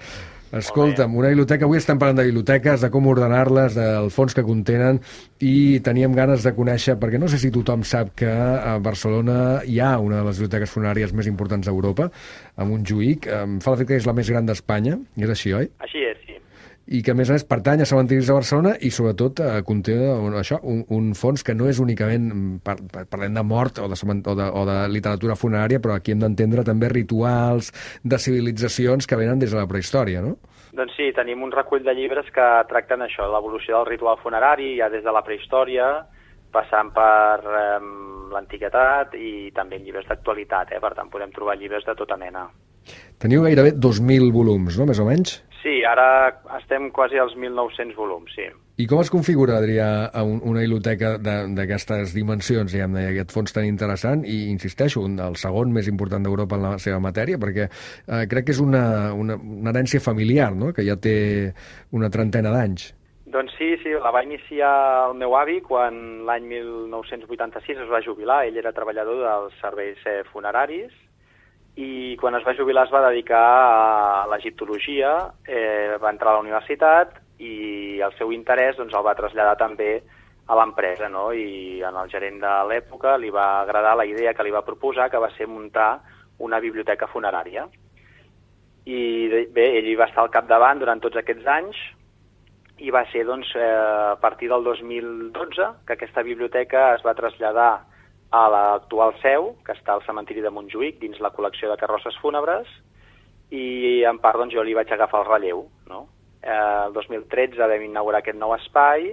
Escolta'm, una biblioteca, avui estem parlant de biblioteques, de com ordenar-les, del fons que contenen, i teníem ganes de conèixer, perquè no sé si tothom sap que a Barcelona hi ha una de les biblioteques funeràries més importants d'Europa, a Montjuïc, em fa l'efecte que és la més gran d'Espanya, és així, oi? Així és, sí. I que a més pertany a Cementiris de Barcelona i sobretot conté un fons que no és únicament, parlem de mort o de literatura funerària, però aquí hem d'entendre també rituals de civilitzacions que venen des de la prehistòria, no? Doncs sí, tenim un recull de llibres que tracten això, l'evolució del ritual funerari, ja des de la prehistòria, passant per l'antiguitat i també llibres d'actualitat, per tant podem trobar llibres de tota mena. Teniu gairebé 2.000 volums, no?, més o menys? Sí, ara estem quasi als 1.900 volums, sí. I com es configura, Adrià, una biblioteca d'aquestes dimensions, diguem-ne, aquest fons tan interessant, i insisteixo, el segon més important d'Europa en la seva matèria, perquè crec que és una herència familiar, no?, que ja té una trentena d'anys. Doncs sí, la va iniciar el meu avi quan l'any 1986 es va jubilar. Ell era treballador dels serveis funeraris, i quan es va jubilar es va dedicar a l'egiptologia, va entrar a la universitat i el seu interès el va traslladar també a l'empresa, no? I al gerent de l'època li va agradar la idea que li va proposar, que va ser muntar una biblioteca funerària. I bé, ell hi va estar al capdavant durant tots aquests anys i va ser a partir del 2012 que aquesta biblioteca es va traslladar a l'actual seu, que està al cementiri de Montjuïc, dins la col·lecció de carrosses fúnebres, i en part jo li vaig agafar el relleu, no? El 2013 vam inaugurar aquest nou espai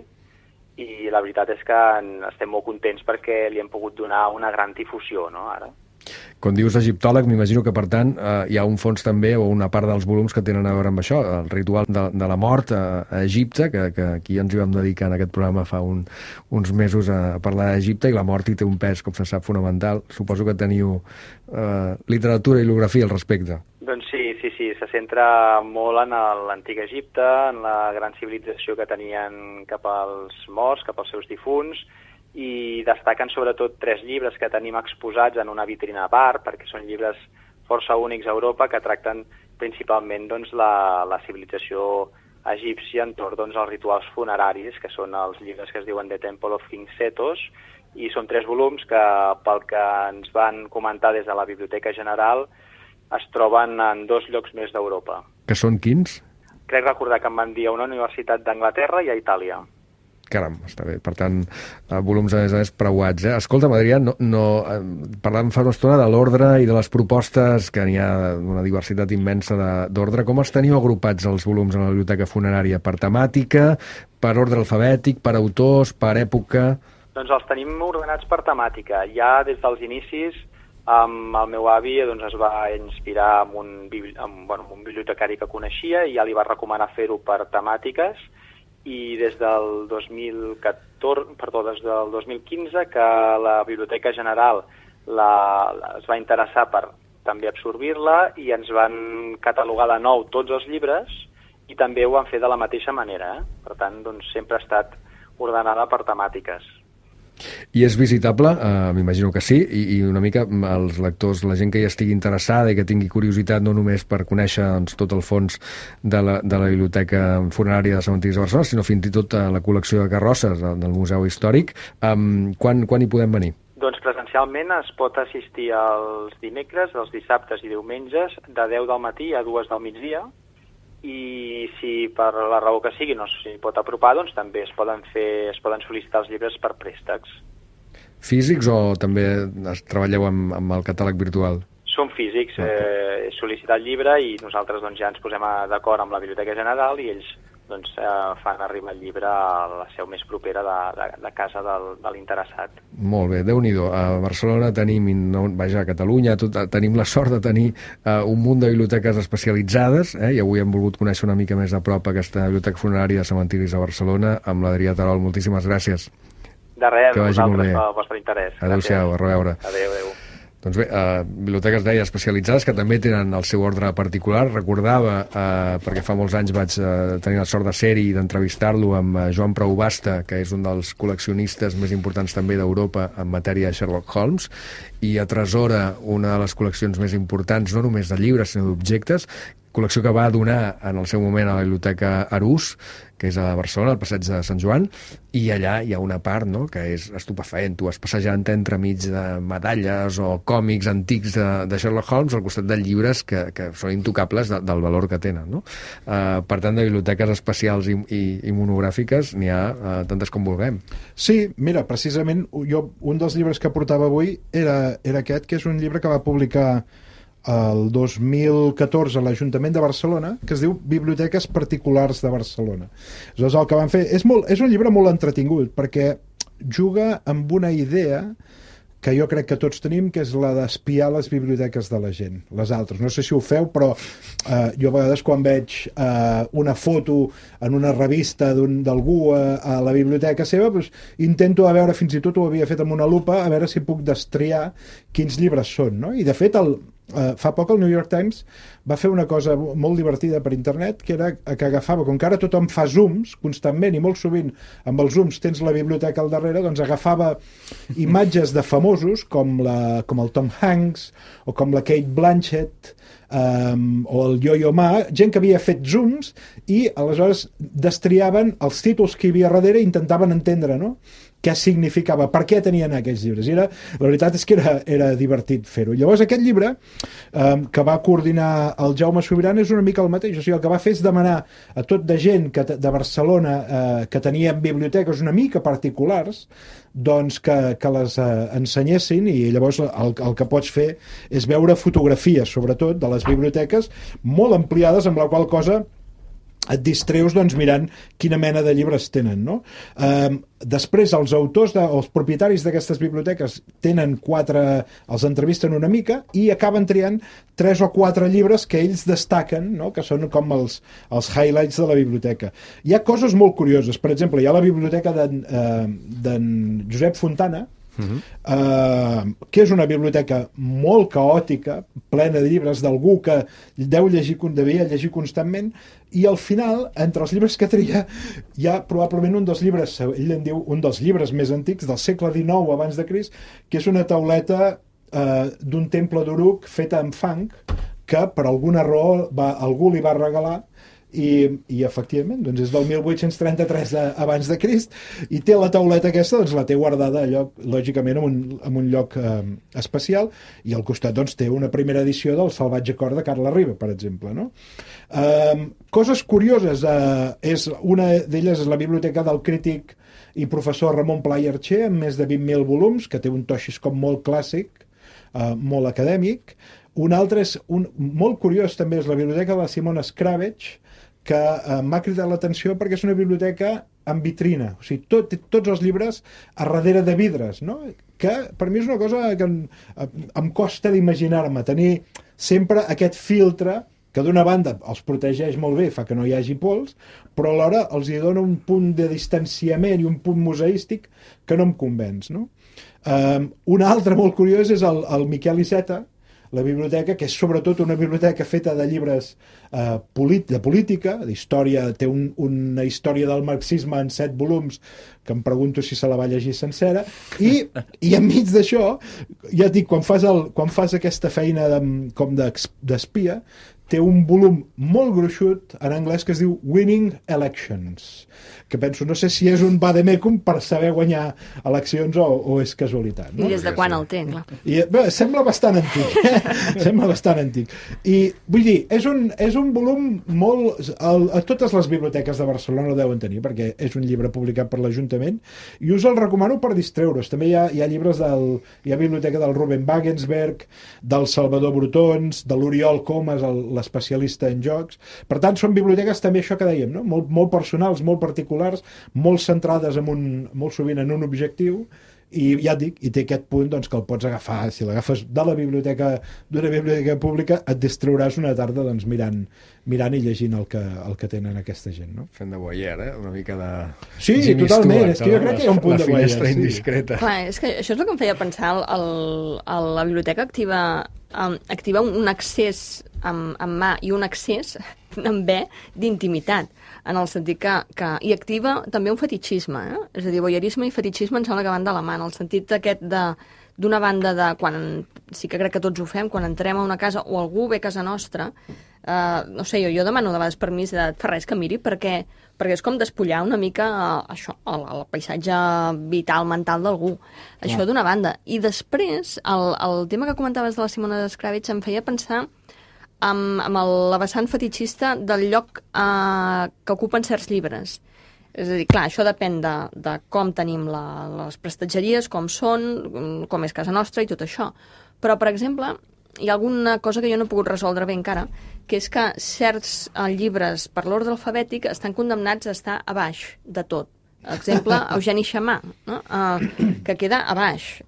i la veritat és que estem molt contents perquè li hem pogut donar una gran difusió, no, ara. Quan dius egiptòleg, m'imagino que, per tant, hi ha un fons també, o una part dels volums que tenen a veure amb això, el ritual de la mort a Egipte, que aquí ens hi vam dedicar en aquest programa fa uns mesos a parlar d'Egipte, i la mort hi té un pes, com se sap, fonamental. Suposo que teniu literatura i bibliografia al respecte. Doncs sí, se centra molt en l'antic Egipte, en la gran civilització que tenien cap als morts, cap als seus difunts, i destaquen sobretot 3 llibres que tenim exposats en una vitrina a part, perquè són llibres força únics a Europa que tracten principalment la civilització egípcia entorn als rituals funeraris, que són els llibres que es diuen The Temple of King Sethos, i són 3 volums que, pel que ens van comentar des de la Biblioteca General, es troben en 2 llocs més d'Europa. Que són quins? Crec recordar que em van dir a una universitat d'Anglaterra i a Itàlia. Caram, està bé. Per tant, volums a més preuats. Escolta'm, Adrià, parlàvem fa una estona de l'ordre i de les propostes, que n'hi ha una diversitat immensa d'ordre. Com els teniu agrupats, els volums, en la biblioteca funerària? Per temàtica, per ordre alfabètic, per autors, per època? Doncs els tenim ordenats per temàtica. Ja des dels inicis, el meu avi es va inspirar en un bibliotecari que coneixia i ja li va recomanar fer-ho per temàtiques, i des del 2015 que la Biblioteca General es va interessar per també absorbir-la i ens van catalogar de nou tots els llibres i també ho van fer de la mateixa manera. Per tant, sempre ha estat ordenada per temàtiques. I és visitable? M'imagino que sí, i una mica els lectors, la gent que hi estigui interessada i que tingui curiositat no només per conèixer tot el fons de la Biblioteca Funerària de Cementiris de Barcelona, sinó fins i tot la col·lecció de carrosses del Museu Històric. Quan hi podem venir? Doncs presencialment presencialment es pot assistir els dimecres, els dissabtes i diumenges de 10 del matí a 2 del migdia, i si per la raó que sigui no s'hi pot apropar, doncs també es poden sol·licitar els llibres per préstecs. Físics o també treballeu amb el catàleg virtual? Són físics, sol·licitar el llibre i nosaltres doncs, ja ens posem d'acord amb la Biblioteca General i ells doncs, fan arribar el llibre a la seu més propera de casa de l'interessat. Molt bé, Déu-n'hi-do. A Barcelona tenim, a Catalunya, tenim la sort de tenir un munt de biblioteques especialitzades, i avui hem volgut conèixer una mica més a prop aquesta biblioteca funerària de cementiris a Barcelona amb l'Adrià Terol. Moltíssimes gràcies. De res, que vagi molt bé. Pel vostre interès. Adéu-siau, a reveure. Adéu. Doncs bé, biblioteques, deia, especialitzades, que també tenen el seu ordre particular. Recordava, perquè fa molts anys vaig tenir la sort de ser-hi i d'entrevistar-lo amb Joan Praubasta, que és un dels col·leccionistes més importants també d'Europa en matèria de Sherlock Holmes, i atresora una de les col·leccions més importants, no només de llibres, sinó d'objectes, col·lecció que va donar en el seu moment a la Biblioteca Arús, que és a Barcelona, al passeig de Sant Joan, i allà hi ha una part, no?, que és estupefaent. Tu vas passejant entremig de medalles o còmics antics de Sherlock Holmes al costat de llibres que són intocables del valor que tenen, no? Per tant, de biblioteques especials i monogràfiques n'hi ha tantes com vulguem. Sí, mira, precisament un dels llibres que portava avui era aquest, que és un llibre que va publicar el 2014 a l'Ajuntament de Barcelona, que es diu Biblioteques Particulars de Barcelona. Aleshores, el que van fer és un llibre molt entretingut, perquè juga amb una idea que jo crec que tots tenim, que és la d'espiar les biblioteques de la gent, les altres. No sé si ho feu, però jo a vegades quan veig una foto en una revista d'algú a la biblioteca seva, doncs, intento a veure, fins i tot ho havia fet amb una lupa, a veure si puc destriar quins llibres són, no? I de fet fa poc el New York Times va fer una cosa molt divertida per internet, que era que agafava, com que ara tothom fa zooms constantment i molt sovint amb els zooms tens la biblioteca al darrere, doncs agafava imatges de famosos com el Tom Hanks o com la Kate Blanchett o el Yo-Yo Ma, gent que havia fet zooms i aleshores destriaven els títols que hi havia darrere i intentaven entendre, no?, què significava, per què tenien aquests llibres. I la veritat és que era divertit fer-ho. Llavors aquest llibre que va coordinar el Jaume Subiran és una mica el mateix. O sigui, el que va fer és demanar a tot de gent de Barcelona que tenien biblioteques una mica particulars, doncs que les ensenyessin, i llavors el que pots fer és veure fotografies, sobretot, de les biblioteques molt ampliades, amb la qual cosa et distreus doncs, mirant quina mena de llibres tenen, no? Després els autors, els propietaris d'aquestes biblioteques tenen els entrevisten una mica i acaben triant 3 o 4 llibres que ells destaquen, no?, que són com els highlights de la biblioteca. Hi ha coses molt curioses. Per exemple, hi ha la biblioteca d'en Josep Fontana, que és una biblioteca molt caòtica, plena de llibres d'algú que devia llegir constantment, i al final, entre els llibres que tria, hi ha probablement un dels llibres, ell en diu un dels llibres més antics del segle XIX abans de Crist, que és una tauleta d'un temple d'Uruk feta amb fang, que per alguna raó algú li va regalar, i efectivament, doncs és del 1833 abans de Crist, i té la tauleta aquesta, doncs la té guardada lògicament en un lloc especial, i al costat doncs té una primera edició del Salvatge cor de Carles Riba, per exemple, no? Coses curioses, una d'elles és la biblioteca del crític i professor Ramon Pla i Arxer, amb més de 20.000 volums, que té un to així com molt clàssic, molt acadèmic. Un altre molt curiós també és la biblioteca de la Simona Skravec, que m'ha cridat l'atenció perquè és una biblioteca amb vitrina, o sigui, tots els llibres a darrere de vidres, no? Que per mi és una cosa que em costa d'imaginar-me, tenir sempre aquest filtre que d'una banda els protegeix molt bé, fa que no hi hagi pols, però alhora els hi dona un punt de distanciament i un punt museístic que no em convenç, no? Un altre molt curiós és el Miquel Iceta, la biblioteca, que és sobretot una biblioteca feta de llibres de política, d'història, té una història del marxisme en 7 volums, que em pregunto si se la va llegir sencera, i enmig d'això, ja et dic, quan fas aquesta feina com d'espia, té un volum molt gruixut en anglès que es diu Winning Elections, que penso, no sé si és un vademecum per saber guanyar eleccions o és casualitat. No? I des de quan el té, clar. I, bé, sembla bastant antic. Sembla bastant antic. I vull dir, és un volum molt... A totes les biblioteques de Barcelona ho deuen tenir, perquè és un llibre publicat per l'Ajuntament, i us el recomano per distreure's. També hi ha llibres hi ha biblioteca del Ruben Wagensberg, del Salvador Brotons, de l'Oriol Comas, l'especialista en jocs. Per tant, són biblioteques també això que dèiem, no? Molt personals, molt particulars, molt centrades molt sovint en un objectiu, i ja et dic, i té aquest punt doncs, que el pots agafar, si l'agafes de la biblioteca d'una biblioteca pública, et distrauràs una tarda doncs, mirant i llegint el que tenen aquesta gent, no? Fent de voyeur, una mica de... Sí, Jimmy totalment, Stewart, és que jo crec que hi ha un punt de voyeur. La finestra indiscreta. Clar, és que això és el que em feia pensar, la biblioteca activa un accés amb mà i un accés amb B d'intimitat, en el sentit que hi activa també un fetitxisme, és a dir, voyeurisme i fetitxisme em sembla que van de la mà, en el sentit aquest d'una banda de quan, sí que crec que tots ho fem, quan entrem a una casa o algú ve a casa nostra, no sé, jo demano de vegades permís de fer res que miri, perquè és com despullar una mica això, el paisatge vital, mental d'algú. Això d'una banda. I després, el tema que comentaves de la Simona Descravitx em feia pensar amb la vessant fetitxista del lloc que ocupen certs llibres. És a dir, clar, això depèn de com tenim les prestatgeries, com són, com és casa nostra i tot això. Però, per exemple, hi ha alguna cosa que jo no he pogut resoldre bé encara, que és que certs llibres per l'ordre alfabètic estan condemnats a estar a baix de tot. Exemple, Eugeni Xamà, no? Que queda a baix.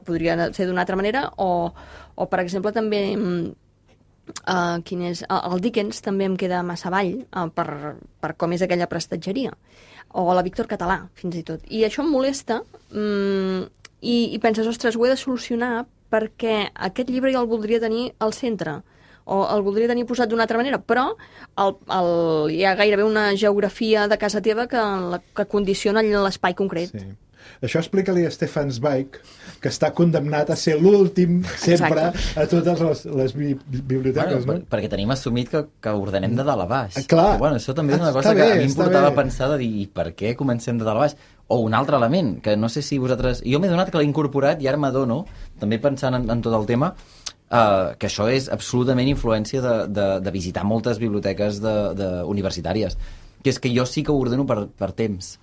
Podria ser d'una altra manera, o per exemple, també... quin és el Dickens també em queda massa avall per com és aquella prestatgeria, o la Víctor Català fins i tot, i això em molesta i penses, ostres, ho he de solucionar perquè aquest llibre jo el voldria tenir al centre o el voldria tenir posat d'una altra manera, però hi ha gairebé una geografia de casa teva que condiciona l'espai concret. Sí. Això explica-li a Stefan Zweig, que està condemnat a ser l'últim sempre a totes les biblioteques. Bueno, perquè tenim assumit que ordenem de dalt a baix. Clar. Bueno, això també és una cosa que a mi em portava a pensar de dir, i per què comencem de dalt a baix? O un altre element, que no sé si vosaltres... Jo m'he donat que l'he incorporat i ara m'adono, també pensant en tot el tema, que això és absolutament influència de visitar moltes biblioteques universitàries, que és que jo sí que ho ordeno per temps.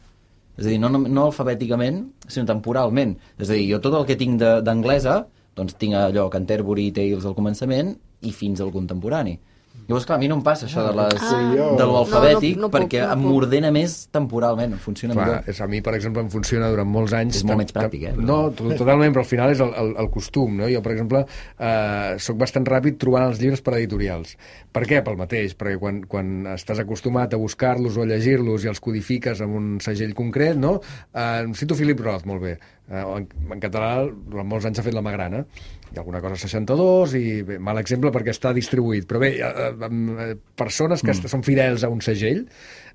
És a dir, no alfabèticament, sinó temporalment. És a dir, jo tot el que tinc d'anglesa, doncs tinc allò Canterbury Tales al començament i fins al contemporani. Llavors, clar, a mi no em passa això de l'alfabètic, perquè m'ordena més temporalment, funciona millor. A mi, per exemple, em funciona durant molts anys... És molt menys pràctic, No, totalment, però al final és el costum, no? Jo, per exemple, soc bastant ràpid trobant els llibres per editorials. Per què? Pel mateix, perquè quan estàs acostumat a buscar-los o a llegir-los i els codifiques amb un segell concret, no? Cito Philip Roth, molt bé. En català, durant molts anys s'ha fet la Magrana. Hi ha alguna cosa 62 i bé, mal exemple perquè està distribuït, però bé, persones que són fidels a un segell,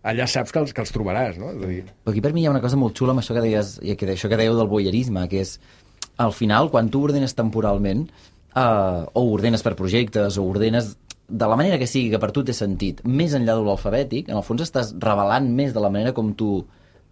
allà saps que els trobaràs, no? És a dir... Aquí per mi hi ha una cosa molt xula amb això que deies, i això que dèieu del voyeurisme, que és, al final, quan tu ordenes temporalment, o ordenes per projectes, o ordenes de la manera que sigui, que per tu té sentit, més enllà de l'alfabètic, en el fons estàs revelant més de la manera com tu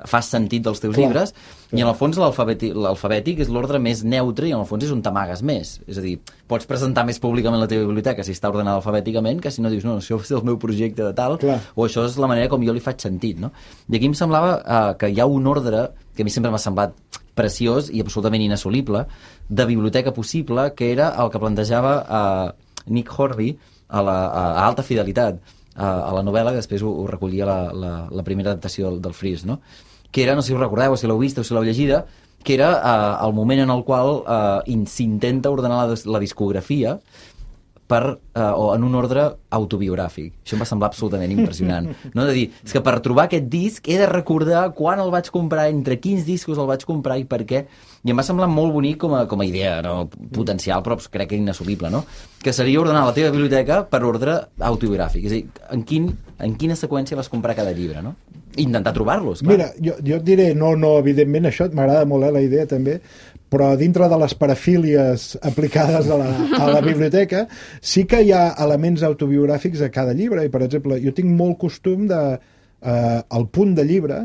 fas sentit dels teus llibres, i en el fons l'alfabètic és l'ordre més neutre i en el fons és on t'amagues més. És a dir, pots presentar més públicament la teva biblioteca si està ordenada alfabèticament que si no dius, no, això és el meu projecte de tal, o això és la manera com jo li faig sentit, no? I aquí em semblava que hi ha un ordre que a mi sempre m'ha semblat preciós i absolutament inassolible de biblioteca possible, que era el que plantejava Nick Hornby a Alta Fidelitat, a la novel·la, que després ho recollia la primera adaptació del Fries, no? Que era, no sé si ho recordeu, si l'heu vist o si l'heu llegida, que era el moment en el qual s'intenta ordenar la discografia o en un ordre autobiogràfic. Això em va semblar absolutament impressionant. No? De dir, és que per trobar aquest disc he de recordar quan el vaig comprar, entre quins discos el vaig comprar i per què. I em va semblar molt bonic com a idea, no? Potencial, però crec que inassolible, no? Que seria ordenar la teva biblioteca per ordre autobiogràfic. És a dir, en quina seqüència vas comprar cada llibre, no? intentar trobar-los, clar. Mira, jo et diré, no, evidentment, això m'agrada molt, la idea també, però dintre de les parafílies aplicades a la biblioteca sí que hi ha elements autobiogràfics a cada llibre, i per exemple, jo tinc molt costum de, al punt de llibre,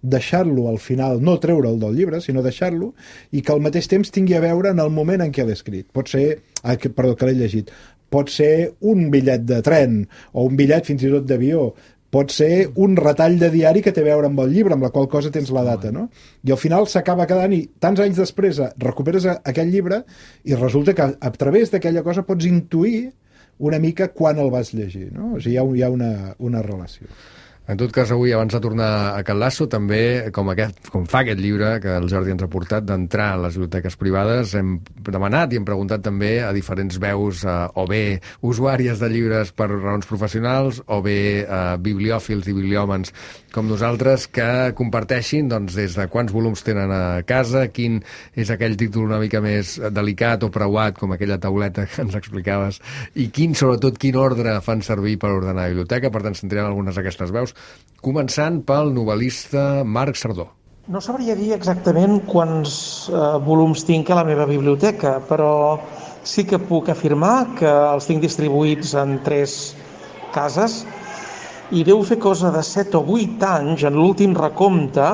deixar-lo al final, no treure'l del llibre, sinó deixar-lo, i que al mateix temps tingui a veure en el moment en què l'he escrit. Pot ser, que l'he llegit, pot ser un bitllet de tren, o un bitllet fins i tot d'avió, pot ser un retall de diari que té a veure amb el llibre, amb la qual cosa tens la data, no? I al final s'acaba quedant, i tants anys després recuperes aquell llibre i resulta que a través d'aquella cosa pots intuir una mica quan el vas llegir, no? O sigui, hi ha una relació. En tot cas, avui, abans de tornar a Can Lasso, també, com fa aquest llibre que el Jordi ens ha portat, d'entrar a les biblioteques privades, hem demanat i hem preguntat també a diferents veus, o bé usuàries de llibres per raons professionals, o bé bibliòfils i bibliòmans com nosaltres, que comparteixin doncs, des de quants volums tenen a casa, quin és aquell títol una mica més delicat o preuat, com aquella tauleta que ens explicaves, i sobretot quin ordre fan servir per ordenar la biblioteca. Per tant, sentirem algunes d'aquestes veus, començant pel novel·lista Marc Sardó. No sabria dir exactament quants volums tinc a la meva biblioteca, però sí que puc afirmar que els tinc distribuïts en 3 cases i deu fer cosa de 7 o 8 anys en l'últim recompte,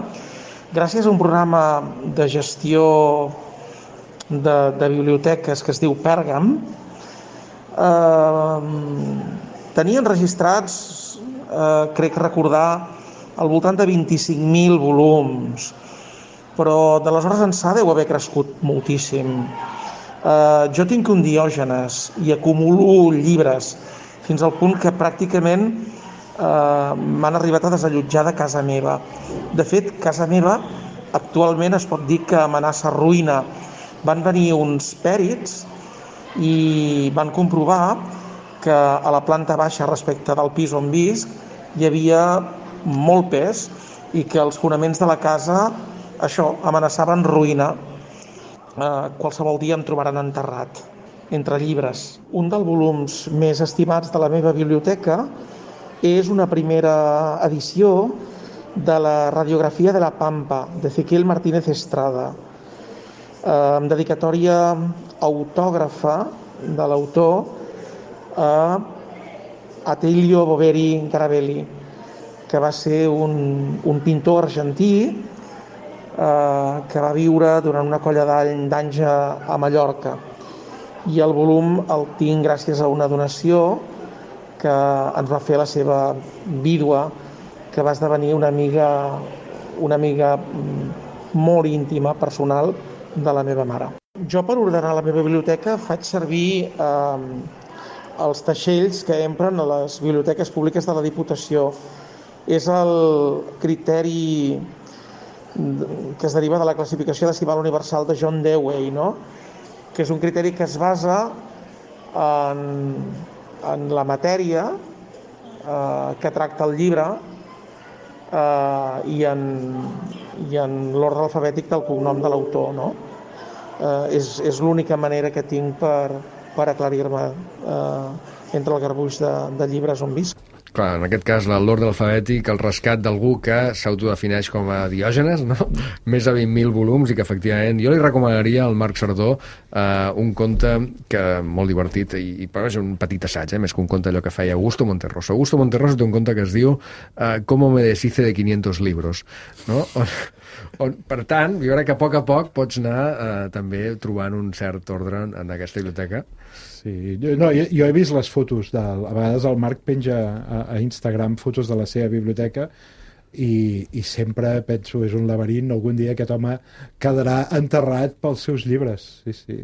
gràcies a un programa de gestió de biblioteques que es diu Pèrgam. Tenien registrats, crec recordar, al voltant de 25.000 volums, però d'aleshores ençà deu haver crescut moltíssim. Jo tinc un Diògenes i acumulo llibres fins al punt que pràcticament m'han arribat a desallotjar de casa meva. De fet, casa meva actualment es pot dir que amenaça ruïna. Van venir uns pèrits i van comprovar que a la planta baixa respecte del pis on visc hi havia molt pes i que els fonaments de la casa amenaçaven ruïna. Qualsevol dia em trobaran enterrat entre llibres. Un dels volums més estimats de la meva biblioteca és una primera edició de la radiografia de la Pampa, d'Ezequiel Martínez Estrada, amb dedicatòria autògrafa de l'autor a Attilio Boveri Garavelli, que va ser un pintor argentí que va viure durant una colla d'anys a Mallorca. I el volum el tinc gràcies a una donació que ens va fer la seva vídua, que va esdevenir una amiga molt íntima, personal, de la meva mare. Jo, per ordenar la meva biblioteca, faig servir els teixells que empren a les biblioteques públiques de la Diputació. És el criteri que es deriva de la classificació decimal universal de John Dewey, no? Que és un criteri que es basa en la matèria que tracta el llibre i en l'ordre alfabètic del cognom de l'autor, no? És l'única manera que tinc per aclarir-me entre el garbuix de llibres on visc. Clar, en aquest cas l'ordre alfabètic, el rescat d'algú que s'autodefineix com a Diògenes, no? Més de 20.000 volums, i que efectivament jo li recomanaria al Marc Sardó un conte que molt divertit, i és un petit assaig, més que un conte allò que feia Augusto Monterroso. Augusto Monterroso té un conte que es diu Cómo me deshice de 500 libros, no? Per tant, jo crec que a poc pots anar també trobant un cert ordre en aquesta biblioteca. Sí, jo he vist les fotos, a vegades el Marc penja a Instagram fotos de la seva biblioteca i sempre penso, és un laberint, algun dia aquest home quedarà enterrat pels seus llibres. Sí, sí.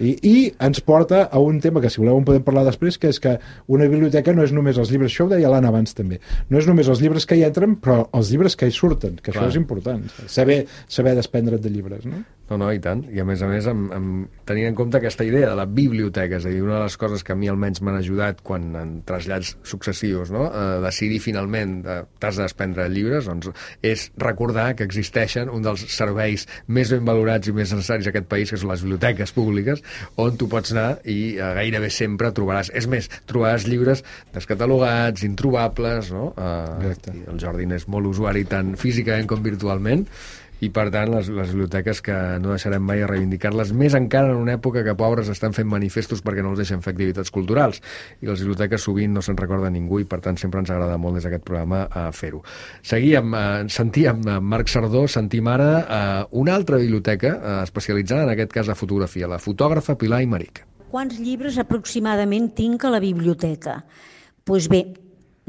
I ens porta a un tema que, si voleu, en podem parlar després, que és que una biblioteca no és només els llibres, això ho deia l'Anna abans també, no és només els llibres que hi entren, però els llibres que hi surten, que Clar. Això és important, saber desprendre't de llibres, no? No, i tant. I a més, tenint en compte aquesta idea de la biblioteca, és a dir, una de les coses que a mi almenys m'han ajudat quan en trasllats successius, no? Decidir finalment t'has de desprendre llibres, doncs és recordar que existeixen un dels serveis més ben valorats i més necessaris a aquest país, que són les biblioteques públiques, on tu pots anar i gairebé sempre trobaràs. És més, trobaràs llibres descatalogats, introbables, no? El Jordi és molt usuari tant físicament com virtualment, i per tant les biblioteques que no deixarem mai a reivindicar-les, més encara en una època que pobres estan fent manifestos perquè no els deixen fer activitats culturals, i les biblioteques sovint no se'n recorda ningú, i per tant sempre ens agrada molt des d'aquest programa fer-ho. Sentíem Marc Sardó, sentim ara una altra biblioteca especialitzada en aquest cas a fotografia, la fotògrafa Pilar Aymeric. Quants llibres aproximadament tinc a la biblioteca? Doncs bé,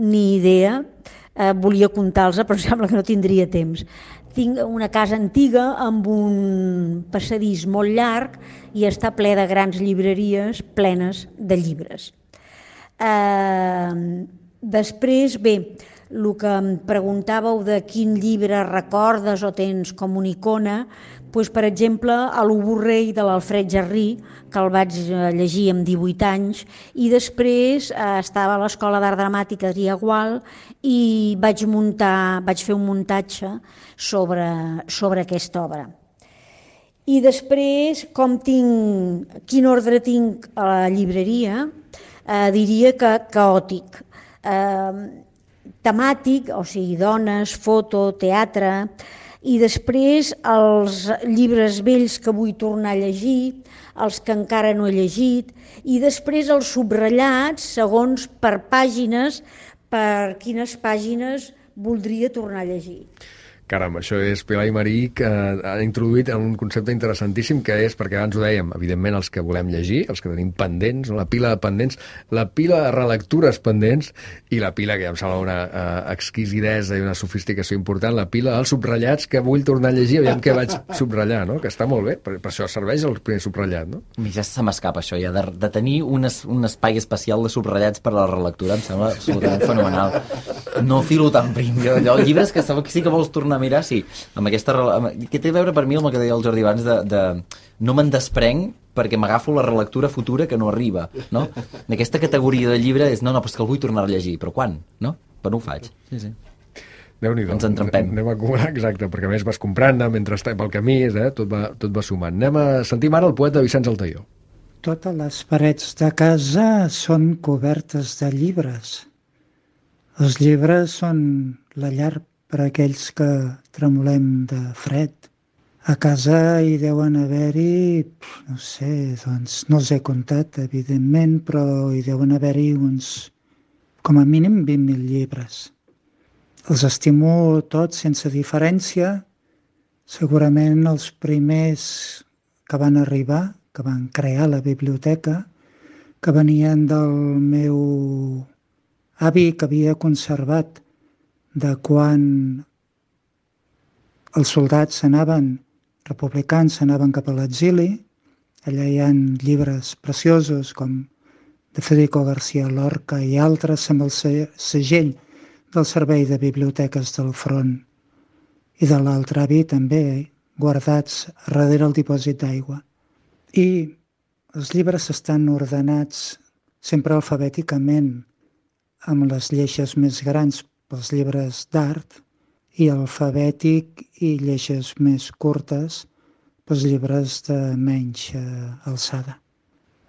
ni idea, volia comptar-los, però sembla que no tindria temps. Tinc una casa antiga amb un passadís molt llarg i està ple de grans llibreries plenes de llibres. Després, bé, el que em preguntàveu de quin llibre recordes o tens com una icona, doncs, per exemple, a l'Uborrell de l'Alfred Jarrí, que el vaig llegir amb 18 anys, i després estava a l'Escola d'Art Dramàtic Adrià Gual i vaig fer un muntatge sobre aquesta obra. I després, quin ordre tinc a la llibreria, diria que caòtic. Temàtic, o sigui, dones, foto, teatre, i després els llibres vells que vull tornar a llegir, els que encara no he llegit, i després els subratllats segons per pàgines, per quines pàgines voldria tornar a llegir. Caram, això és Pilar Aymeric, ha introduït un concepte interessantíssim, que és, perquè abans ho dèiem, evidentment els que volem llegir, els que tenim pendents, no? La pila de pendents, la pila de relectures pendents, i la pila, que ja em sembla una exquisidesa i una sofisticació important, la pila dels subratllats que vull tornar a llegir, aviam què vaig subratllar, no? Que està molt bé, per això serveix el primer subratllat, no? A mi ja se m'escapa això, ja, de tenir un espai especial de subratllats per a la relectura, em sembla absolutament fenomenal. No filo tan prim, allò, llibres que sí que vols tornar a mirar, sí, amb aquesta... que té a veure per mi amb el que deia el Jordi abans de no me'n desprenc perquè m'agafo la relectura futura que no arriba, no? Aquesta categoria de llibre és, no, però és que el vull tornar a llegir, però quan, no? Per no ho faig. Sí. Déu-n'hi-do. Ens entrampem. Anem a acumular, exacte, perquè a més vas comprant-ne mentre estàs pel camí, tot va sumant. Anem a sentir ara el poeta Vicenç Altaió. Totes les parets de casa són cobertes de llibres. Els llibres són la llar per a aquells que tremolem de fred. A casa hi deuen haver-hi, no sé, doncs no els he comptat, evidentment, però hi deuen haver-hi uns, com a mínim, 20.000 llibres. Els estimo tots sense diferència. Segurament els primers que van arribar, que van crear la biblioteca, que venien del meu avi, que havia conservat de quan els soldats republicans s'anaven cap a l'exili. Allà hi ha llibres preciosos com de Federico García Lorca i altres amb el segell del Servei de Biblioteques del Front i de l'altre avi també, guardats darrere el dipòsit d'aigua. I els llibres estan ordenats sempre alfabèticament, amb les lleixes més grans pels llibres d'art i alfabètic i lleixes més curtes pels llibres de menys alçada.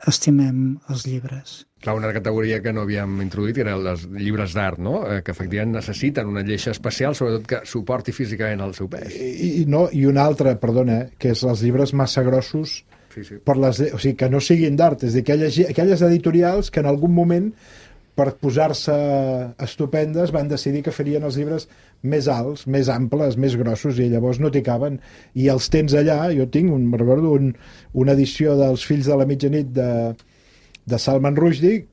Estimem els llibres. Clar, una categoria que no havíem introduït eren els llibres d'art, no? Que efectivament necessiten una lleixa especial, sobretot que suporti físicament el seu pes. I una altra, perdona, que és els llibres massa grossos, sí. O sigui, que no siguin d'art, és a dir, aquelles editorials que en algun moment, per posar-se estupendes, van decidir que farien els llibres més alts, més amples, més grossos, i llavors no t'hi caben. I els tens allà, jo tinc, recordo, una edició dels Fills de la Mitjanit de Salman Rushdie,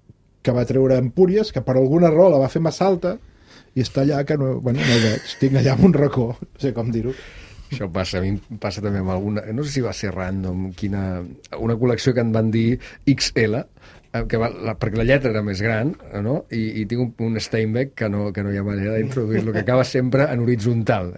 que va treure Empúries, que per alguna raó la va fer massa alta, i està allà que no el veig. Tinc allà un racó, no sé com dir-ho. Això passa, a mi em passa també amb alguna... No sé si va ser random, una col·lecció que en van dir XL, perquè la lletra era més gran, no? I tinc un Steinbeck que no hi ha manera d'introduir-lo, que acaba sempre en horitzontal.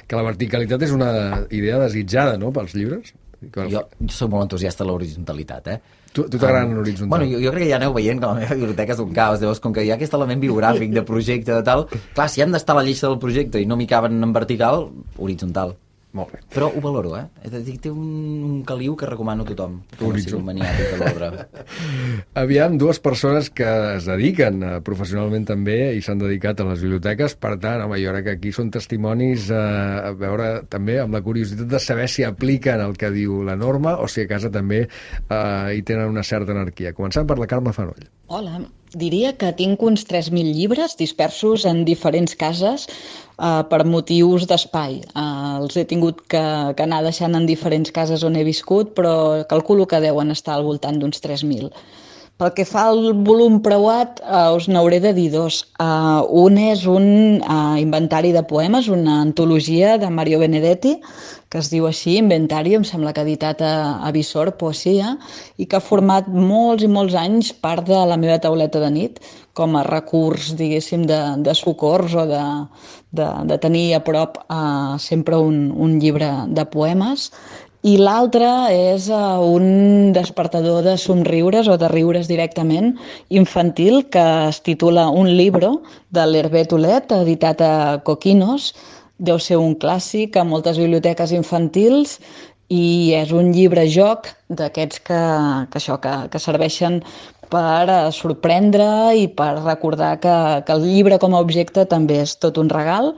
Que la verticalitat és una idea desitjada, no?, pels llibres. Jo soc molt entusiasta de l'horizontalitat, Tu t'agrada en horitzontal? Bueno, jo crec que ja aneu veient que la meva biblioteca és un caos. Llavors, com que hi ha aquest element biogràfic de projecte de tal, clar, si han d'estar a la llista del projecte i no m'hi caben en vertical, horitzontal. Molt bé. Però ho valoro, És a dir, té un caliu que recomano a tothom, que no sigui un maniàtic de l'ordre. Aviam, dues persones que es dediquen professionalment també i s'han dedicat a les biblioteques, per tant, home, jo crec que aquí són testimonis a veure també amb la curiositat de saber si apliquen el que diu la norma o si a casa també hi tenen una certa anarquia. Començant per la Carme Fanoll. Hola, diria que tinc uns 3.000 llibres dispersos en diferents cases per motius d'espai. Els he tingut que anar deixant en diferents cases on he viscut, però calculo que deuen estar al voltant d'uns 3.000. Pel que fa al volum preuat, us n'hauré de dir dos. Un és un inventari de poemes, una antologia de Mario Benedetti, que es diu així, Inventari, em sembla que ha editat a Visor Poesia, i que ha format molts i molts anys part de la meva tauleta de nit, com a recurs, diguéssim, de socors o de tenir a prop sempre un llibre de poemes. I l'altre és un despertador de somriures o de riures directament infantil que es titula Un libro, de l'Hervé Toulet, editat a Coquinos. Deu ser un clàssic a moltes biblioteques infantils i és un llibre-joc d'aquests que serveixen per sorprendre i per recordar que el llibre com a objecte també és tot un regal.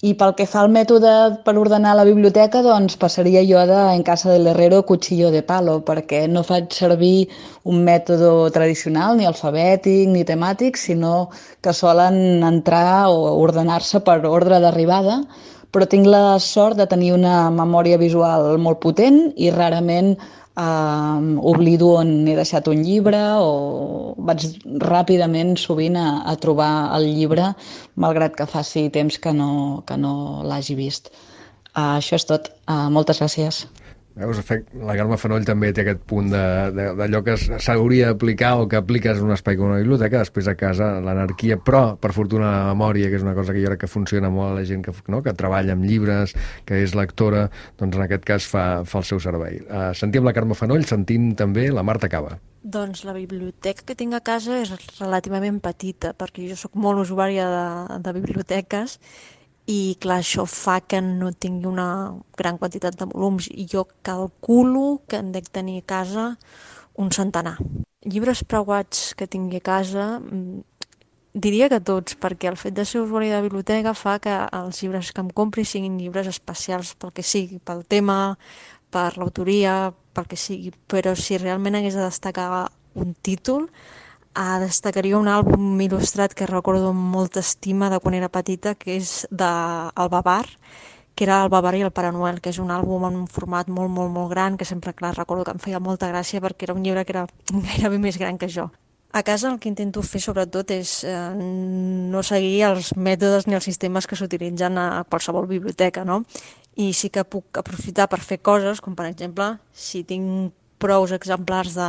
I pel que fa al mètode per ordenar la biblioteca, doncs passaria jo de En casa del herrero cuchillo de palo, perquè no faig servir un mètode tradicional, ni alfabètic ni temàtic, sinó que solen entrar o ordenar-se per ordre d'arribada, però tinc la sort de tenir una memòria visual molt potent i rarament oblido on he deixat un llibre o vaig ràpidament sovint a trobar el llibre malgrat que faci temps que no l'hagi vist. Això és tot. Moltes gràcies. Veus, la Carme Fanoll també té aquest punt d'allò que s'hauria d'aplicar o que apliques en un espai com una biblioteca, després a casa l'anarquia, però per fortuna la memòria, que és una cosa que jo crec que funciona molt a la gent que treballa amb llibres, que és lectora, doncs en aquest cas fa el seu servei. Sentim la Carme Fanoll, sentim també la Marta Cava. Doncs la biblioteca que tinc a casa és relativament petita, perquè jo sóc molt usuària de biblioteques i clar, això fa que no tingui una gran quantitat de volums i jo calculo que en dec tenir a casa un centenar. Llibres preuats que tingui a casa diria que tots, perquè el fet de ser usuari de biblioteca fa que els llibres que em compri siguin llibres especials pel que sigui, pel tema, per l'autoria, pel que sigui, però si realment hagués de destacar un títol, destacaria un àlbum il·lustrat que recordo amb molta estima de quan era petita, que és del Babar, que era el Babar i el Pare Noel, que és un àlbum en un format molt, molt, molt gran, que sempre, clar, recordo que em feia molta gràcia perquè era un llibre que era gairebé més gran que jo. A casa el que intento fer sobretot és no seguir els mètodes ni els sistemes que s'utilitzen a qualsevol biblioteca, no? I sí que puc aprofitar per fer coses, com per exemple, si tinc prous exemplars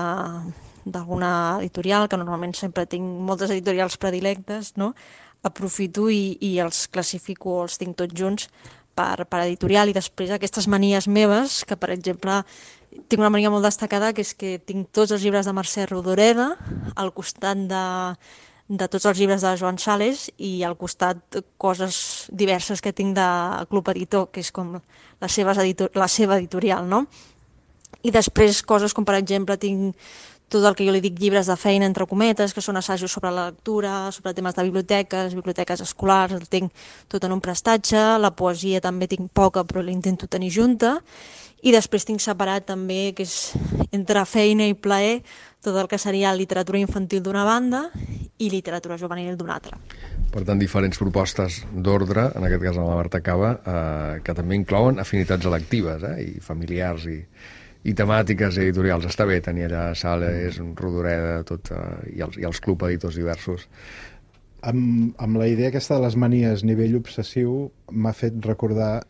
d'alguna editorial, que normalment sempre tinc moltes editorials predilectes, no? Aprofito i els classifico, els tinc tots junts per editorial, i després aquestes manies meves, que per exemple tinc una mania molt destacada, que és que tinc tots els llibres de Mercè Rodoreda al costat de tots els llibres de Joan Sales i al costat coses diverses que tinc de Club Editor, que és com la seva editorial, no? I després coses com, per exemple, tinc tot el que jo li dic llibres de feina, entre cometes, que són assajos sobre la lectura, sobre temes de biblioteques escolars, el tinc tot en un prestatge, la poesia també tinc poca, però l'intento tenir junta, i després tinc separat també, que és entre feina i plaer, tot el que seria literatura infantil d'una banda i literatura juvenil d'una altra. Per tant, diferents propostes d'ordre, en aquest cas a la Marta Cava, que també inclouen afinitats electives i familiars i temàtiques editorials. Està bé tenir allà Sales, Rodoreda, tot, i els club editors diversos. amb la idea aquesta de les manies nivell obsessiu m'ha fet recordar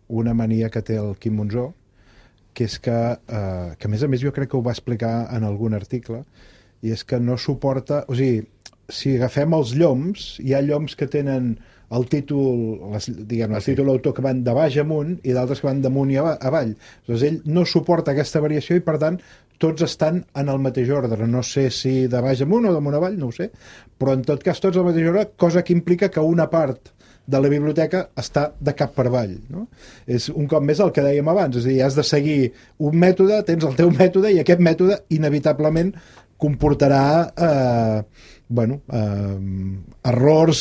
una mania que té el Quim Monzó, que és que a més jo crec que ho va explicar en algun article, i és que no suporta... O sigui, si agafem els lloms, hi ha lloms que tenen el títol, el títol d'autor que van de baix amunt i d'altres que van d'amunt i avall. Llavors ell no suporta aquesta variació i per tant tots estan en el mateix ordre. No sé si de baix amunt o d'amunt avall, no ho sé, però en tot cas tots al mateix ordre, cosa que implica que una part de la biblioteca està de cap per avall, no? És un cop més el que dèiem abans, és a dir, has de seguir un mètode, tens el teu mètode i aquest mètode inevitablement comportarà errors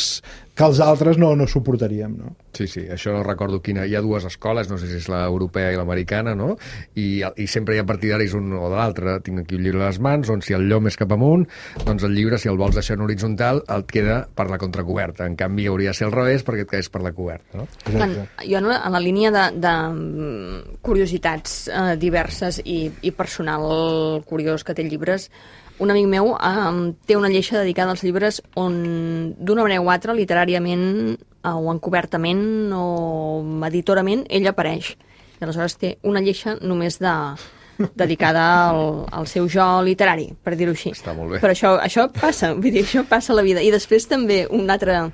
que els altres no suportaríem, no? Sí, això no recordo quina... Hi ha dues escoles, no sé si és l'europea i l'americana, no? I sempre hi ha partidaris un o de l'altre. Tinc aquí un llibre a les mans, on si el llom és cap amunt, doncs el llibre, si el vols deixar en horitzontal, et queda per la contracoberta. En canvi, hauria de ser al revés perquè et quedés per la coberta, no? Jo, en la línia de curiositats diverses i personal curiós que té llibres, un amic meu té una lleixa dedicada als llibres on, d'una manera o altra, literàriament o encobertament o editorament, ell apareix. I aleshores té una lleixa només dedicada al seu jo literari, per dir-ho així. Està molt bé. Però això passa, vull dir, això passa a la vida. I després també un altre,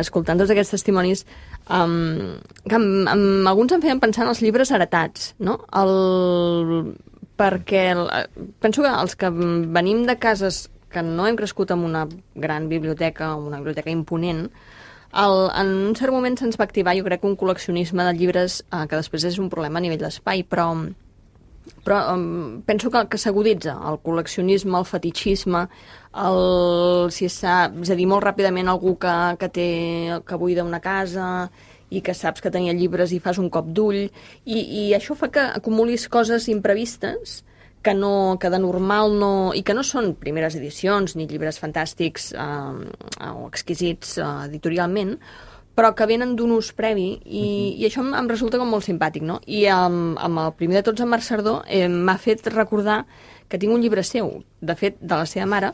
escoltant tots aquests testimonis, que alguns em feien pensar en els llibres heretats, no? Perquè penso que els que venim de cases que no hem crescut amb una gran biblioteca, una biblioteca imponent, en un cert moment se'ns va activar, jo crec, un col·leccionisme de llibres que després és un problema a nivell d'espai, però penso que s'aguditza el col·leccionisme, el fetitxisme, és a dir, molt ràpidament algú que buida una casa i que saps que tenia llibres i fas un cop d'ull, i això fa que acumulis coses imprevistes que de normal no... i que no són primeres edicions ni llibres fantàstics o exquisits editorialment, però que venen d'un ús previ, i això em resulta com molt simpàtic, no? I amb el primer de tots, en Marc Sardó, m'ha fet recordar que tinc un llibre seu, de fet, de la seva mare,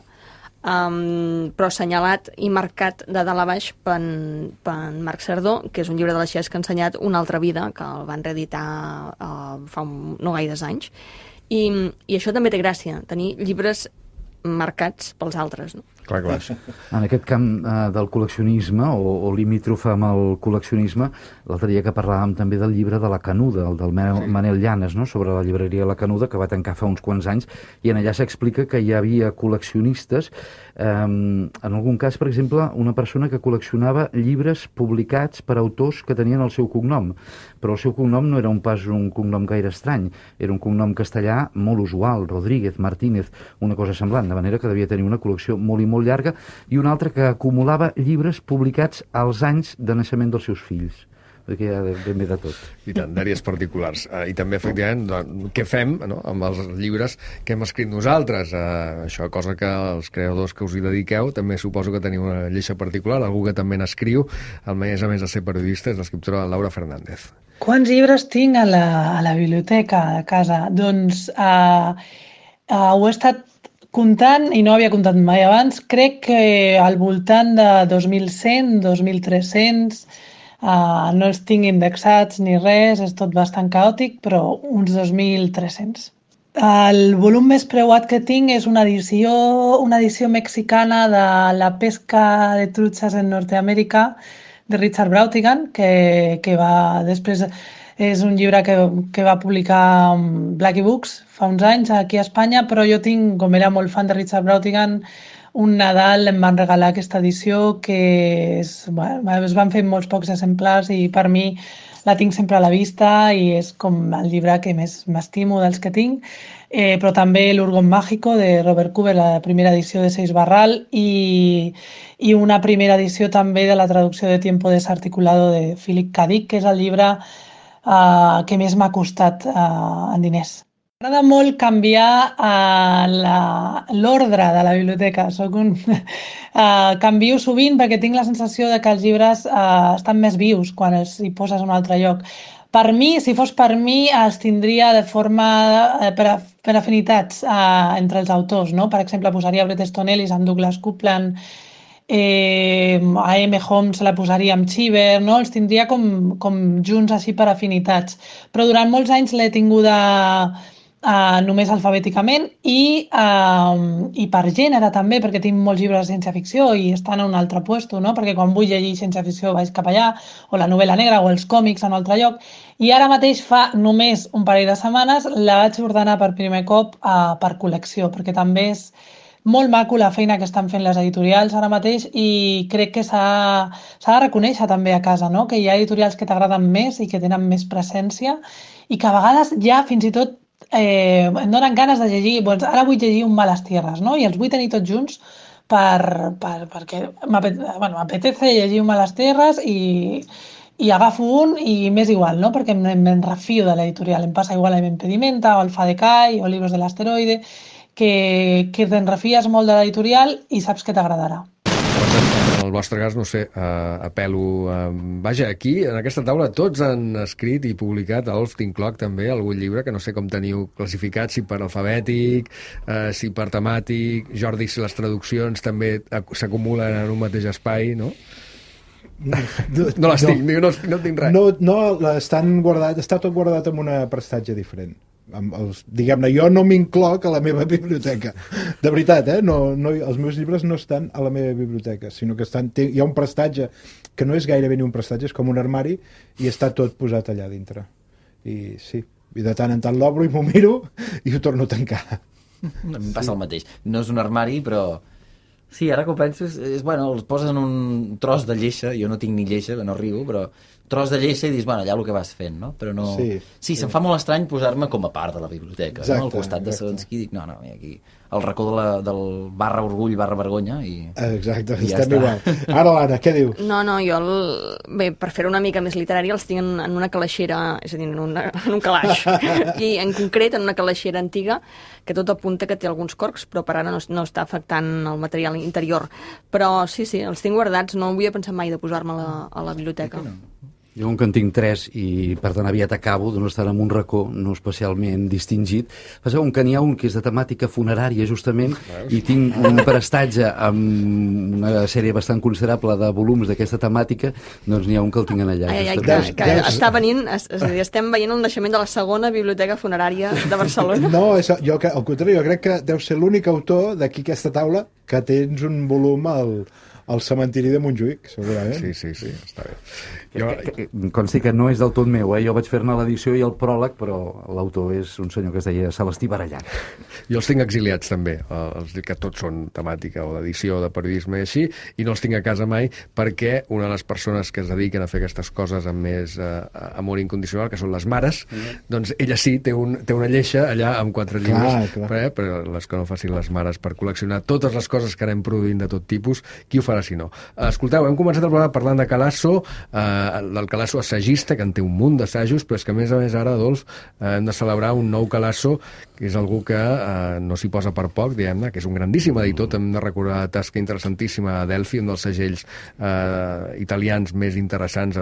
però assenyalat i marcat de dalt a baix per Marc Sardó, que és un llibre de la Xés que ha ensenyat Una altra vida, que el van reeditar fa no gaires anys, i això també té gràcia, tenir llibres marcats pels altres, no? Clar. En aquest camp del col·leccionisme, o limítrof amb el col·leccionisme, l'altre dia que parlàvem també del llibre de La Canuda, el del Manel Llanes, no?, sobre la llibreria La Canuda, que va tancar fa uns quants anys, i en allà s'explica que hi havia col·leccionistes, en algun cas, per exemple, una persona que col·leccionava llibres publicats per autors que tenien el seu cognom, però el seu cognom no era pas un cognom gaire estrany, era un cognom castellà molt usual, Rodríguez, Martínez, una cosa semblant, de manera que devia tenir una col·lecció molt llarga, i un altre que acumulava llibres publicats als anys de naixement dels seus fills. Perquè hi ha ben bé de tot. I tant, d'àrees particulars. I també, efectivament, què fem, no?, amb els llibres que hem escrit nosaltres? Això, cosa que els creadors que us hi dediqueu també suposo que teniu una lleixa particular, algú que també n'escriu, a més de ser periodista, és l'escriptora Laura Fernández. Quants llibres tinc a la biblioteca de casa? Doncs ho he estat comptant, i no havia comptat mai abans, crec que al voltant de 2.100, 2.300, no els tinc indexats ni res, és tot bastant caòtic, però uns 2.300. El volum més preuat que tinc és una edició mexicana de La pesca de truchas en Norteamérica, de Richard Brautigan, que va després... És un llibre que va publicar Blackie Books fa uns anys aquí a Espanya, però jo tinc, com era molt fan de Richard Brautigan, un Nadal em van regalar aquesta edició que es van fer molts pocs exemplars i per mi la tinc sempre a la vista i és com el llibre que més m'estimo dels que tinc, però també L'Urgón Mágico de Robert Coover, la primera edició de Seix Barral, i una primera edició també de la traducció de Tiempo Desarticulado de Philip K. Dick, que és el llibre que més m'ha costat en diners. M'agrada molt canviar l'ordre de la biblioteca. Canvio sovint perquè tinc la sensació de que els llibres estan més vius quan els hi poses a un altre lloc. Per mi, si fos per mi, els tindria de forma per afinitats entre els autors, no? Per exemple, posaria Bret Easton Ellis amb Douglas Coupland A.M. Homes la posaria amb Cheever, no? Els tindria com junts així per afinitats. Però durant molts anys l'he tinguda només alfabèticament i per gènere també, perquè tinc molts llibres de ciència-ficció i estan a un altre puesto, no? Perquè quan vull llegir ciència-ficció vaig cap allà, o la novel·la negra o els còmics a un altre lloc, i ara mateix fa només un parell de setmanes la vaig ordenar per primer cop per col·lecció, perquè també és molt maco la feina que estan fent les editorials ara mateix i crec que s'ha de reconèixer també a casa, no? Que hi ha editorials que t'agraden més i que tenen més presència i que a vegades ja fins i tot em donen ganes de llegir, doncs ara vull llegir un Males Tierras, no? I els vull tenir tots junts perquè m'apetece llegir un Males Tierras i agafo un i m'és igual, no? Perquè me'n refio de l'editorial. Em passa igual amb Impedimenta o el Fadecai o Libros de l'Asteroide, que te'n refies molt de l'editorial i saps que t'agradarà. En el vostre cas, no sé, apel·lo... Vaja, aquí, en aquesta taula, tots han escrit i publicat, a Olfting Clock també, algun llibre, que no sé com teniu classificat, si per alfabètic, si per temàtic. Jordi, si les traduccions també s'acumulen en un mateix espai, no? No les tinc, no tinc res. No, està tot guardat en una prestatge diferent. Diguem-ne, jo no m'incloc a la meva biblioteca. De veritat, els meus llibres no estan a la meva biblioteca, sinó que hi ha un prestatge, que no és gairebé ni un prestatge, és com un armari, i està tot posat allà dintre. I sí, i de tant en tant l'obro i m'ho miro i ho torno a tancar. Em passa el mateix. No és un armari, però... Sí, ara que ho penso, bueno, els poses en un tros de lleixa, jo no tinc ni lleixa, no arribo, però tros de lleixa i dius, bueno, allà el que vas fent, no? Però no... Sí, se'm fa molt estrany posar-me com a part de la biblioteca, no? Al costat de segons qui, dic, no, aquí, al racó del barra orgull, barra vergonya, i... Exacte, i estem igual. Ara, l'Anna, què dius? No, jo, bé, per fer-ho una mica més literari, els tinc en una calaixera, és a dir, en un calaix, i en concret en una calaixera antiga, que tot apunta que té alguns corcs, però per ara no està afectant el material interior. Però sí, els tinc guardats, no havia pensat mai de posar-me a la biblioteca. Jo com que en tinc 3 i per tant aviat acabo, no estar en un racó no especialment distingit. Passa que n'hi ha un que és de temàtica funerària justament i tinc un prestatge amb una sèrie bastant considerable de volums d'aquesta temàtica, doncs n'hi ha un que el tinc allà. Que està venint, és a dir, estem veient el naixement de la segona biblioteca funerària de Barcelona. No, al contrari, jo crec que deu ser l'únic autor d'aquí aquesta taula que tens un volum al cementiri de Montjuïc, segurament. Sí, està bé. Consti que no és del tot meu, jo vaig fer-ne l'edició i el pròleg, però l'autor és un senyor que es deia Celestí Barallat. Jo els tinc exiliats també, els que tots són temàtica o d'edició, de periodisme i així, i no els tinc a casa mai perquè una de les persones que es dediquen a fer aquestes coses amb més amor incondicional, que són les mares, doncs ella sí, té una lleixa allà amb 4 llibres, però les que no facin les mares per col·leccionar totes les coses que anem produint de tot tipus, qui ho farà si no? Escolteu, hem començat el programa parlant de Calasso, del Calasso assagista, que en té un munt d'assajos, però és que a més ara, Adolf, hem de celebrar un nou Calasso, que és algú que no s'hi posa per poc, diguem-ne, que és un grandíssim editor, hem de recordar la tasca interessantíssima a Delphi, un dels segells italians més interessants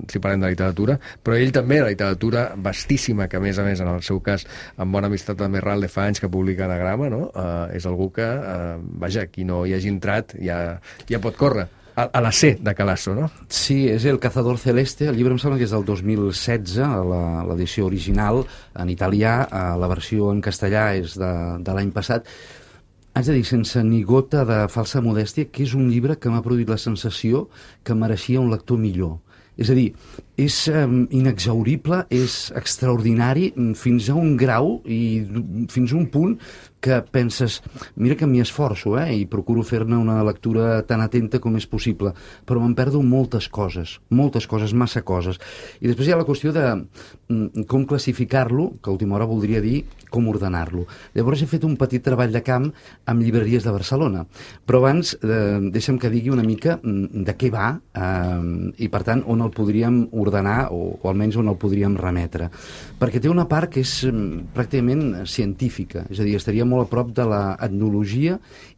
si parlem de literatura, però ell també, la literatura vastíssima, que a més, en el seu cas, amb bona amistat amb Herralde fa anys que publica Anagrama, no? És algú que, vaja, qui no hi hagi entrat ja pot córrer. A la C de Calasso, no? Sí, és El cazador celeste, el llibre em sembla que és del 2016, l'edició original en italià, la versió en castellà és de l'any passat. Haig de dir, sense ni gota de falsa modèstia, que és un llibre que m'ha produït la sensació que mereixia un lector millor. És a dir, és inexhaurible, és extraordinari fins a un grau i fins a un punt que penses, mira que m'hi esforço, i procuro fer-ne una lectura tan atenta com és possible, però me'n perdo moltes coses, massa coses. I després hi ha la qüestió de com classificar-lo, que a última hora voldria dir com ordenar-lo. Llavors he fet un petit treball de camp amb llibreries de Barcelona, però abans deixa'm que digui una mica de què va i per tant on el podríem ordenar o almenys on el podríem remetre, perquè té una part que és pràcticament científica, és a dir, estaria molt a prop de l'etnologia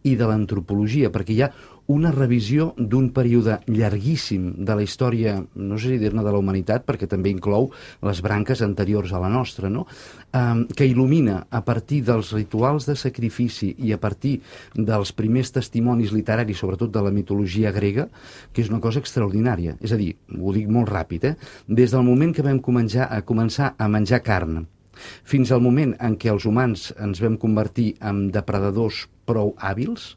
i de l'antropologia, perquè hi ha una revisió d'un període llarguíssim de la història, no sé si dir-ne de la humanitat, perquè també inclou les branques anteriors a la nostra, no? Que il·lumina a partir dels rituals de sacrifici i a partir dels primers testimonis literaris, sobretot de la mitologia grega, que és una cosa extraordinària. És a dir, ho dic molt ràpid, des del moment que vam començar a menjar carn, fins al moment en què els humans ens vam convertir en depredadors prou hàbils,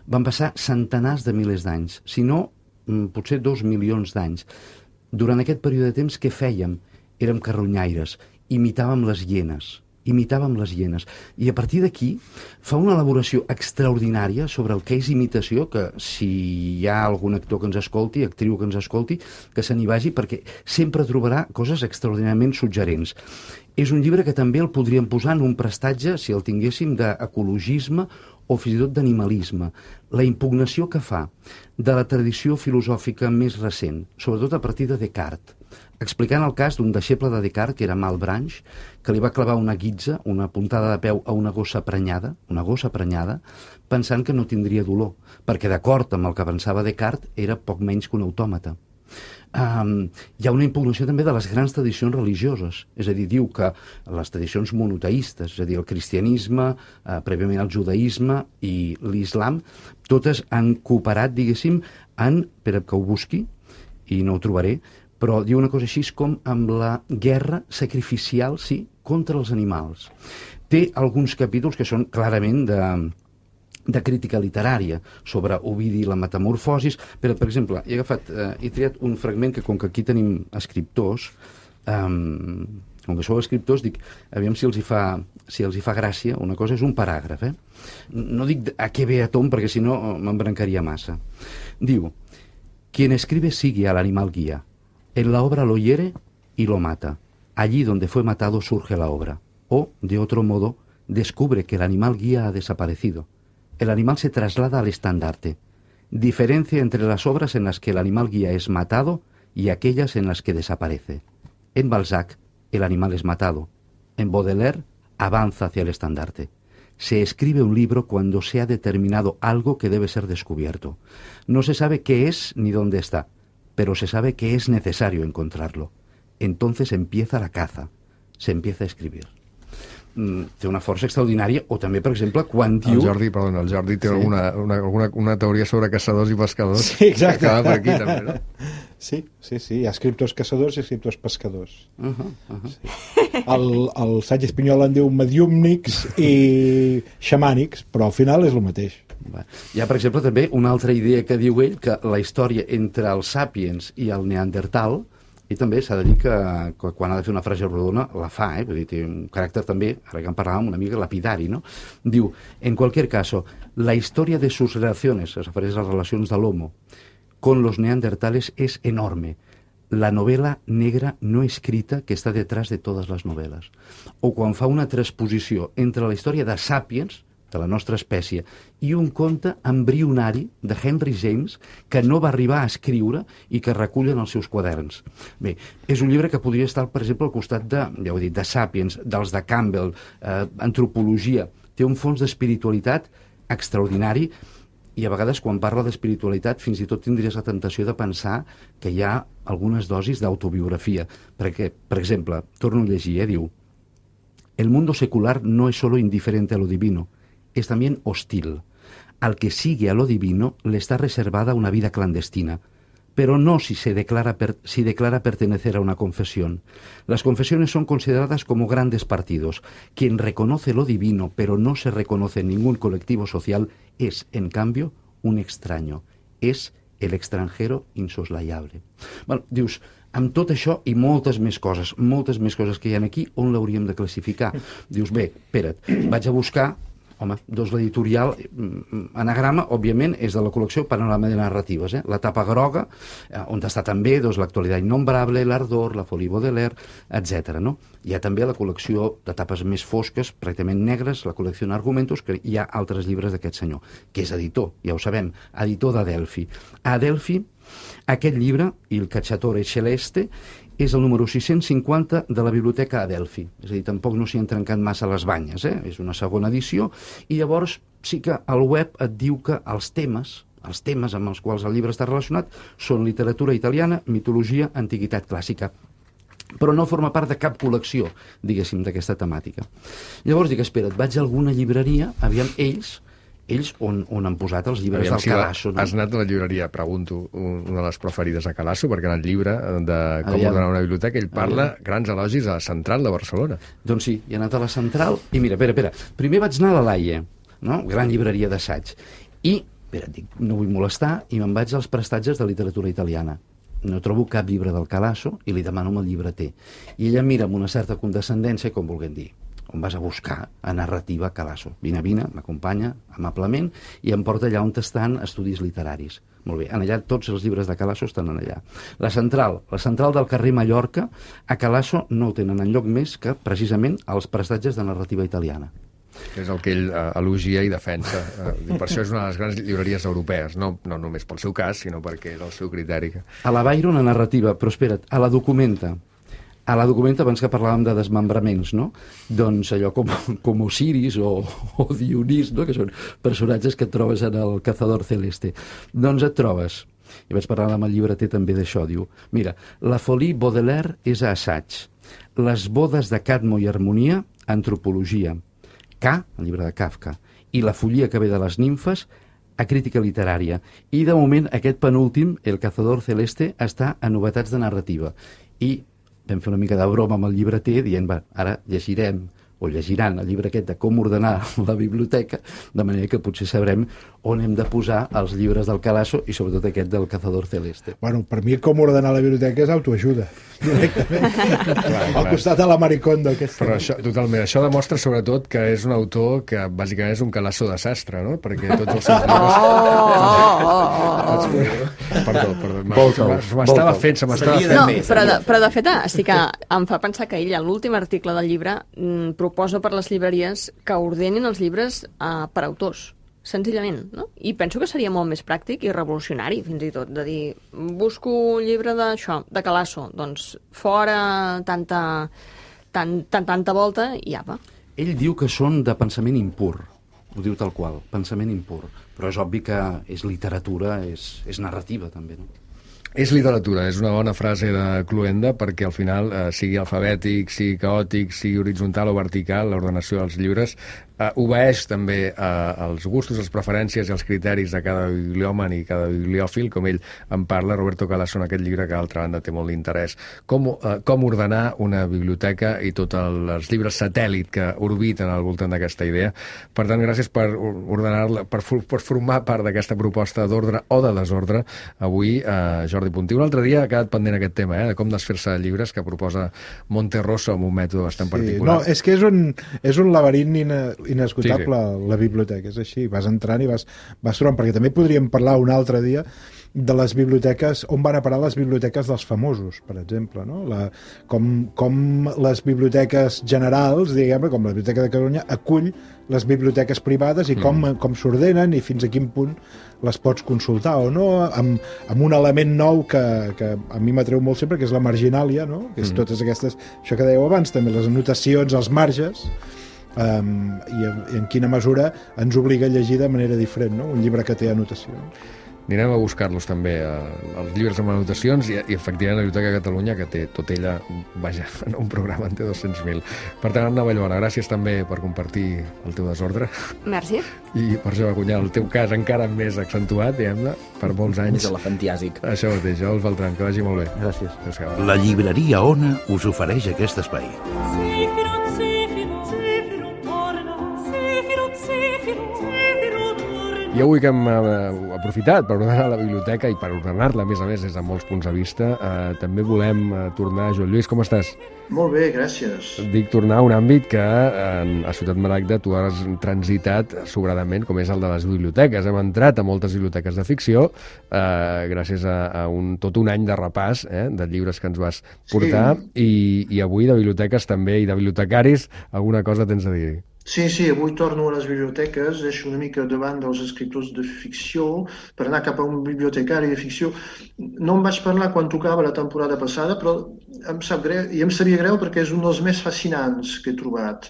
van passar centenars de milers d'anys, si no, potser 2 milions d'anys. Durant aquest període de temps, què fèiem? Érem carronyaires, imitàvem les hienes. I a partir d'aquí fa una elaboració extraordinària sobre el que és imitació, que si hi ha algun actor que ens escolti, actriu que ens escolti, que se n'hi vagi, perquè sempre trobarà coses extraordinàriament suggerents. És un llibre que també el podríem posar en un prestatge, si el tinguéssim, d'ecologisme o fins i tot d'animalisme. La impugnació que fa de la tradició filosòfica més recent, sobretot a partir de Descartes, explicant el cas d'un deixeble de Descartes, que era Malebranche, que li va clavar una guitza, una puntada de peu a una gossa prenyada, pensant que no tindria dolor, perquè d'acord amb el que pensava Descartes era poc menys que un autòmata. Hi ha una impugnació també de les grans tradicions religioses, és a dir, diu que les tradicions monoteistes, és a dir, el cristianisme, prèviament el judaïsme i l'islam, totes han cooperat, diguéssim, espera que ho busqui, i no ho trobaré, però diu una cosa així com amb la guerra sacrificial, sí, contra els animals. Té alguns capítols que són clarament de crítica literària sobre Ovidi i la metamorfosis, però, per exemple, he triat un fragment que, com que aquí tenim escriptors, com que sou escriptors, dic, aviam si els hi fa gràcia, una cosa és un paràgraf, No dic a què ve a tom, perquè si no m'embrancaria massa. Diu, quien escribe sigue al animal guía, en la obra lo hiere y lo mata, allí donde fue matado surge la obra, o, de otro modo, descubre que el animal guía ha desaparecido. El animal se traslada al estandarte. Diferencia entre las obras en las que el animal guía es matado y aquellas en las que desaparece. En Balzac, el animal es matado. En Baudelaire, avanza hacia el estandarte. Se escribe un libro cuando se ha determinado algo que debe ser descubierto. No se sabe qué es ni dónde está, pero se sabe que es necesario encontrarlo. Entonces empieza la caza, se empieza a escribir. Té una força extraordinària, o també, per exemple, quan diu... El Jordi té alguna teoria sobre caçadors i pescadors. Sí, exacte. Que acaba per aquí, també, no? Sí, hi ha escriptors caçadors i escriptors pescadors. Sí. El Sánchez Pinyol en diu mediúmnics i xamànics, però al final és el mateix. Hi ha, per exemple, també una altra idea que diu ell, que la història entre els Sapiens i el Neandertal, i també s'ha de dir que quan ha de fer una frase rodona la fa, vull dir, té un caràcter també, ara que en parlàvem, una mica lapidari, no? Diu, en cualquier caso, la historia de sus relaciones, es refereix a les relacions de l'homo, con los neandertales es enorme. La novela negra no escrita que està detrás de totes les novel·les. O quan fa una transposició entre la història de Sapiens, de la nostra espècie, i un conte embrionari de Henry James que no va arribar a escriure i que recull en els seus quaderns. Bé, és un llibre que podria estar, per exemple, al costat de, ja ho he dit, de Sapiens, dels de Campbell, antropologia. Té un fons d'espiritualitat extraordinari i a vegades quan parla d'espiritualitat fins i tot tindries la tentació de pensar que hi ha algunes dosis d'autobiografia. Perquè, per exemple, torno a llegir, diu: el mundo secular no es solo indiferente a lo divino, es también hostil. Al que sigue a lo divino le está reservada una vida clandestina, pero no si declara pertenecer a una confesión. Las confesiones son consideradas como grandes partidos. Quien reconoce lo divino, pero no se reconoce en ningún colectivo social, es, en cambio, un extraño. Es el extranjero insoslayable. Bueno, dius, amb tot això i moltes més coses que hi ha aquí, on l'hauríem de classificar? Dius, bé, espera't, vaig a buscar, doncs l'editorial Anagrama, òbviament, és de la col·lecció Panorama de Narratives, la tapa groga, on està també l'actualitat innombrable, l'Ardor, la Folie Baudelaire, etc. Hi ha també la col·lecció de tapes més fosques, pràcticament negres, la col·lecció Argumentos, que hi ha altres llibres d'aquest senyor, que és editor, ja ho sabem, editor d'Adelphi. A Adelphi, aquest llibre, Il Cacciatore Celeste, és el número 650 de la Biblioteca Adelphi. És a dir, tampoc no s'hi han trencat massa les banyes, És una segona edició, i llavors sí que al web et diu que els temes els temes amb els quals el llibre està relacionat són literatura italiana, mitologia, antiguitat clàssica, però no forma part de cap col·lecció, diguéssim, d'aquesta temàtica. Llavors dic, espera't, vaig a alguna llibreria, aviam ells on han posat els llibres del Calasso. Has anat a la llibreria, pregunto, una de les preferides a Calasso, perquè en el llibre de Com ordenar una biblioteca ell parla grans elogis a la Central de Barcelona. Doncs sí, he anat a la Central i mira, espera, primer vaig anar a la Laie, no? Gran llibreria d'assaig, i, espera, dic, no vull molestar, i me'n vaig als prestatges de literatura italiana. No trobo cap llibre del Calasso i li demano amb el llibreter. I ella mira amb una certa condescendència, com volguem dir, on vas a buscar a narrativa Calasso. Vine, m'acompanya amablement i em porta allà on estan estudis literaris. Molt bé, en allà tots els llibres de Calasso estan allà. La central del carrer Mallorca, a Calasso no ho tenen enlloc més que precisament als prestatges de narrativa italiana. És el que ell elogia i defensa. Per això és una de les grans llibreries europees, no només pel seu cas, sinó perquè és el seu criteri. A la Byron, a narrativa, però espera't, a la Documenta, abans que parlàvem de desmembraments, no? Doncs allò com Osiris o Dionís, no? Que són personatges que et trobes en el Cazador Celeste. Doncs et trobes, i vaig parlar amb el llibreter també d'això, diu, mira, la Folie Baudelaire és a assaig, les bodes de Cadmo i Harmonia, antropologia, el llibre de Kafka, i la follia que ve de les nimfes, a crítica literària. I de moment aquest penúltim, El Cazador Celeste, està a novetats de narrativa. I vam fer una mica de broma amb el llibreter dient, ara llegiran el llibre aquest de com ordenar la biblioteca, de manera que potser sabrem on hem de posar els llibres del Calasso i sobretot aquest del Cazador Celeste. Bueno, per mi com ordenar la biblioteca és autoajuda, directament. Al costat de la Maricondo. Però totalment, això demostra sobretot que és un autor que bàsicament és un Calasso de sastre, no? Perquè tots els seus llibres... Perdó. Se m'estava fent. Però de fet, sí que em fa pensar que ell, a l'últim article del llibre, proposa per les llibreries que ordenin els llibres per autors, senzillament, no? I penso que seria molt més pràctic i revolucionari, fins i tot, de dir, busco un llibre d'això, de Calasso, doncs fora tanta volta i apa. Ell diu que són de pensament impur, ho diu tal qual, pensament impur, però és obvi que és literatura, és narrativa també, no? És literatura, és una bona frase de Cluenda perquè al final, sigui alfabètic, sigui caòtic, sigui horitzontal o vertical, l'ordenació dels llibres obeeix també als gustos, les preferències i els criteris de cada bibliòman i cada bibliòfil, com ell en parla, Roberto Calasso, en aquest llibre que d'altra banda té molt d'interès. Com ordenar una biblioteca i tots els llibres satèl·lit que orbiten al voltant d'aquesta idea. Per tant, gràcies per ordenar-la, per formar part d'aquesta proposta d'ordre o de desordre. Avui, Jordi Puntí, un altre dia ha quedat pendent aquest tema, de com desfer-se llibres que proposa Monterroso amb un mètode bastant particular. No, és que és un laberint inesgotable, la biblioteca, és així, vas entrant i vas trobant, perquè també podríem parlar un altre dia de les biblioteques, on van a parar les biblioteques dels famosos, per exemple, no? Com les biblioteques generals, diguem-ne, com la Biblioteca de Catalunya, acull les biblioteques privades i com s'ordenen i fins a quin punt les pots consultar o no, amb un element nou que a mi m'atreu molt sempre, que és la marginàlia, no? Que és totes aquestes, això que dèieu abans, també les anotacions, els marges, i en quina mesura ens obliga a llegir de manera diferent, no? Un llibre que té anotacions. Anirem a buscar-los també, els llibres amb anotacions, i efectivament la Biblioteca de Catalunya, que té tot ella, vaja, en un programa en té 200.000. Per tant, Anna Vallbona, gràcies també per compartir el teu desordre. Merci. I per això, Cunyal, el teu cas encara més accentuat, diguem-ne, per molts anys. Més elefantiàsic. Això mateix, Joel Beltran, que vagi molt bé. Gràcies. La llibreria Ona us ofereix aquest espai. I avui que hem aprofitat per ordenar la biblioteca i per ordenar-la, a més, des de molts punts de vista, també volem tornar... Joan Lluís, com estàs? Molt bé, gràcies. Dic tornar a un àmbit que a Ciutat Maragda tu has transitat sobradament, com és el de les biblioteques. Hem entrat a moltes biblioteques de ficció gràcies a tot un any de repàs de llibres que ens vas portar, i avui de biblioteques també i de bibliotecaris alguna cosa tens a dir. Sí, avui torno a les biblioteques, deixo una mica davant dels escriptors de ficció per anar cap a un bibliotecari de ficció. No en vaig parlar quan tocava la temporada passada, però em sap greu, i em sabia greu perquè és un dels més fascinants que he trobat.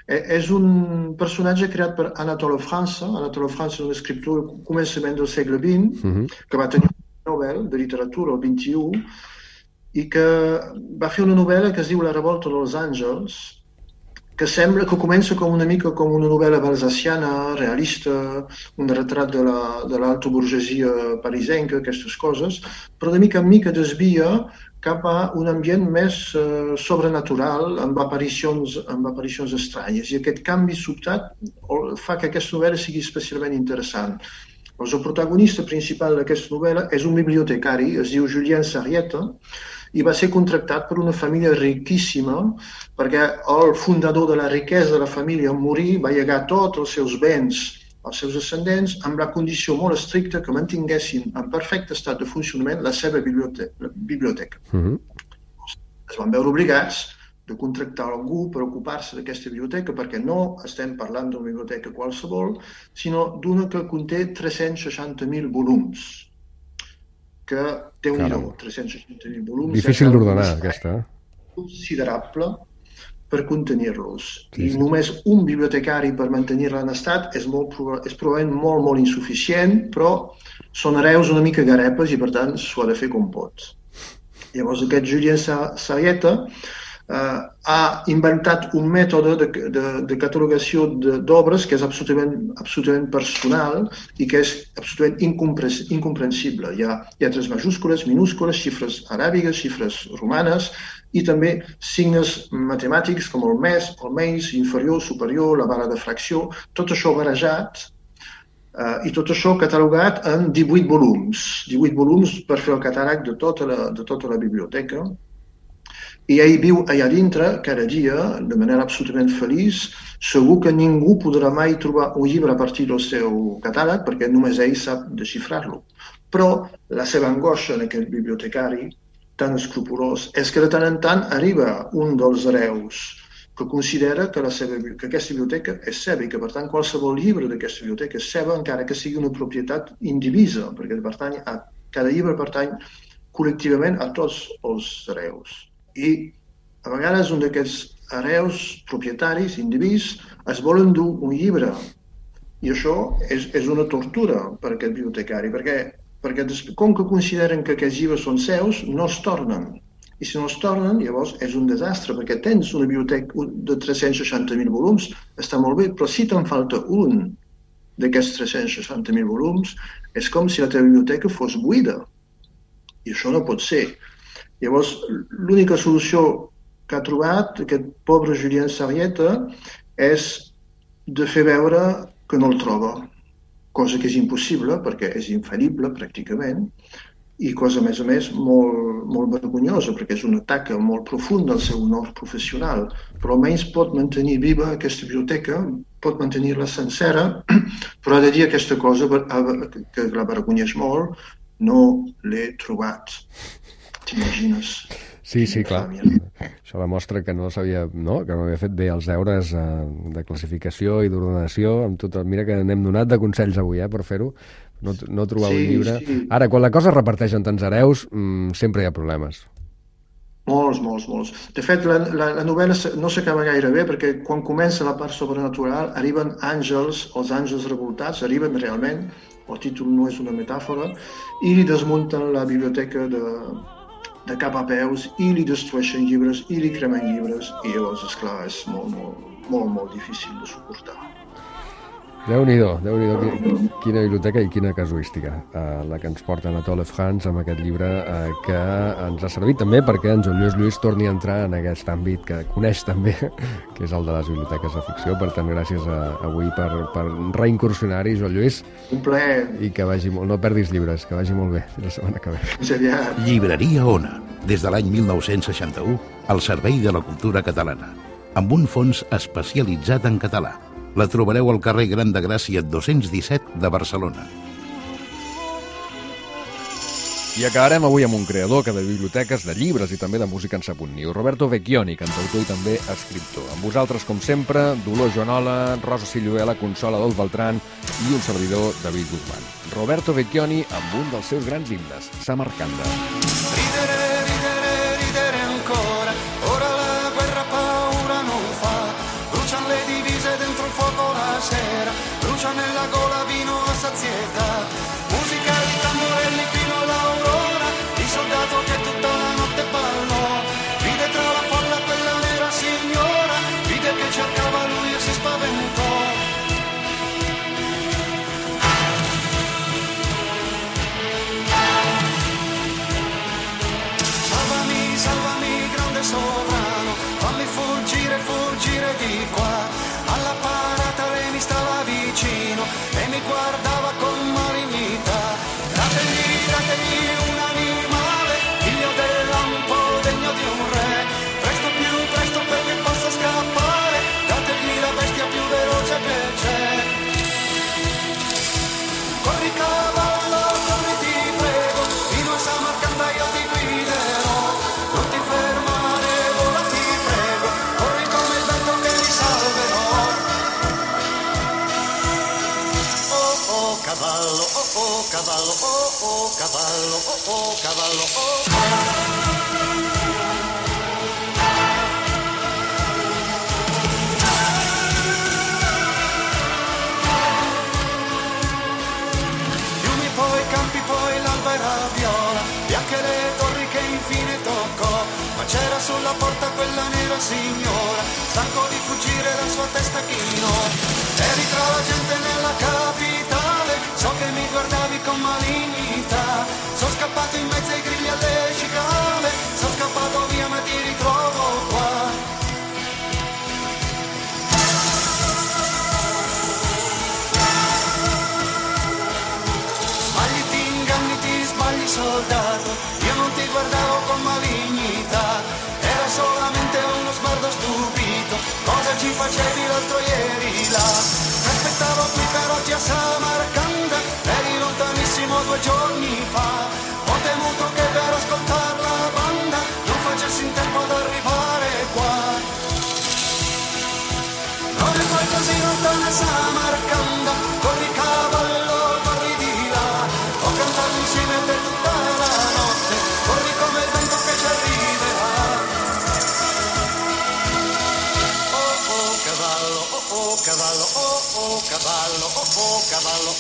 És un personatge creat per Anatole France. Anatole France és un escriptor al començament del segle XX, que va tenir un Nobel de literatura al XXI, i que va fer una novel·la que es diu La revolta dels àngels, que sembla que comença com una mica com una novel·la balzaciana, realista, un retrat de l'alta burgesia parisenca, aquestes coses, però de mica en mica desvia cap a un ambient més sobrenatural, amb aparicions estranyes. I aquest canvi sobtat fa que aquesta novel·la sigui especialment interessant. El protagonista principal d'aquesta novel·la és un bibliotecari, es diu Julien Sarrieta, i va ser contractat per una família riquíssima perquè el fundador de la riquesa de la família, en morir, va llegar tots els seus béns als seus descendents amb la condició molt estricta que mantinguessin en perfecte estat de funcionament la seva biblioteca. Es van veure obligats de contractar algú per ocupar-se d'aquesta biblioteca perquè no estem parlant d'una biblioteca qualsevol, sinó d'una que conté 360.000 volums. Que Déu-n'hi-do, 360.000 volums. Difícil d'ordenar, aquesta. Considerable per contenir-los. I només un bibliotecari per mantenir-la en estat és probablement molt, molt insuficient, però són hereus una mica garepes i, per tant, s'ho ha de fer com pot. Llavors, aquest Julien Sarrieta ha inventat un mètode de catalogació d'obres que és absolutament personal i que és absolutament incomprensible. Hi ha lletres majúscules, minúscules, xifres aràbigues, xifres romanes i també signes matemàtics com el més, el menys, inferior, superior, la barra de fracció, tot això barrejat i tot això catalogat en 18 volums. 18 volums per fer el catàleg de tota la biblioteca. I ell viu allà dintre, cada dia, de manera absolutament feliç. Segur que ningú podrà mai trobar un llibre a partir del seu catàleg, perquè només ell sap desxifrar-lo. Però la seva angoixa en aquest bibliotecari, tan escrupolós, és que de tant en tant arriba un dels hereus que considera que aquesta biblioteca és seva i que, per tant, qualsevol llibre d'aquesta biblioteca és seva, encara que sigui una propietat indivisa, perquè cada llibre pertany col·lectivament a tots els hereus. I a vegades un d'aquests hereus propietaris, indivis, es volen dur un llibre. I això és una tortura per aquest bibliotecari, perquè com que consideren que aquests llibres són seus, no es tornen. I si no es tornen, llavors és un desastre, perquè tens una biblioteca de 360.000 volums, està molt bé, però si te'n falta un d'aquests 360.000 volums, és com si la teva biblioteca fos buida. I això no pot ser. Llavors, l'única solució que ha trobat aquest pobre Julien Sarrieta és de fer veure que no el troba, cosa que és impossible perquè és infal·lible pràcticament i cosa, a més, molt vergonyosa perquè és una taca molt profunda al seu honor professional, però almenys pot mantenir viva aquesta biblioteca, pot mantenir-la sencera, però ha de dir aquesta cosa que la vergonyeix molt, no l'he trobat. T'imagines? Sí, clar. Això demostra que no havia fet bé els deures de classificació i d'ordenació. Mira que n'hem donat de consells avui per fer-ho, no trobar un llibre. Sí. Ara, quan la cosa es reparteix en tants hereus, sempre hi ha problemes. Molts. De fet, la novel·la no s'acaba gaire bé perquè quan comença la part sobrenatural arriben àngels, els àngels revoltats, arriben realment, el títol no és una metàfora, i desmunten la biblioteca de cap a peus i li destrueixen llibres i li cremen llibres i llavors, esclar, és molt difícil de suportar. Déu-n'hi-do, quina biblioteca i quina casuística la que ens porta Anatole France amb aquest llibre que ens ha servit també perquè en Joan Lluís torni a entrar en aquest àmbit que coneix també, que és el de les biblioteques de ficció. Per tant, gràcies avui per reincursionar-hi, Joan Lluís. Un plaer. I que vagi molt, no perdis llibres, que vagi molt bé la setmana que ve. Llibreria Ona, des de l'any 1961, al servei de la cultura catalana, amb un fons especialitzat en català. La trobareu al carrer Gran de Gràcia 217 de Barcelona. I acabarem avui amb un creador que de biblioteques, de llibres i també de música en sap un niu. Roberto Vecchioni, cantautor i també escriptor. Amb vosaltres, com sempre, Dolors Joanola, Rosa Silluela, Consola Adolf Beltrán i un servidor, David Guzmán. Roberto Vecchioni amb un dels seus grans himnes, Samarcanda. Ridere, ridere, ridere ancora, ora la guerra paura non fa, bruciano le divise dentro il fuoco la sera, brucia nella gola vino a sazietà, musica e tamborelli fino all'aurora, il soldato che tutta la notte ballò, vide tra la folla quella nera signora, vide che cercava lui e si spaventò. Salvami, salvami, grande sovrano, fammi fuggire, fuggire di qua, alla parata lei mi stava vicino e mi guardava con malignità. Dategli un animale, figlio del lampo, degno di un re, presto più presto perché possa scappare, dategli la bestia più veloce che c'è. Corri cavallo, corri ti prego, fino a Samarcanda io ti guiderò, non ti fermare, vola ti prego, corri come il vento che mi salverò. Cavallo, cavallo, cavallo, cavallo, Fiumi poi, campi poi, l'alba era viola, bianche le torri che infine toccò, ma c'era sulla porta quella nera signora, stanco di fuggire la sua testa chinò, eri tra la gente nella capitale, so che mi guardavi con malignità, sono scappato in mezzo ai grilli alle cicale, sono scappato via ma ti ritrovo qua. Sbagli, ti inganni, ti sbagli soldato, io non ti guardavo con malignità, era solamente uno sguardo stupito, cosa ci facevi l'altro ieri là? Ti aspettavo qui per oggi a Samarcanda, eri lontanissimo 2 giorni fa, ho temuto che per ascoltar la banda non facessi in tempo ad arrivare qua. Non è poi così lontana Samarcanda, corri cavallo, corri di là, ho cantato insieme a te tutta la notte, corri come il vento che ci arriverà. Cavallo, cavallo, cavallo, cavallo,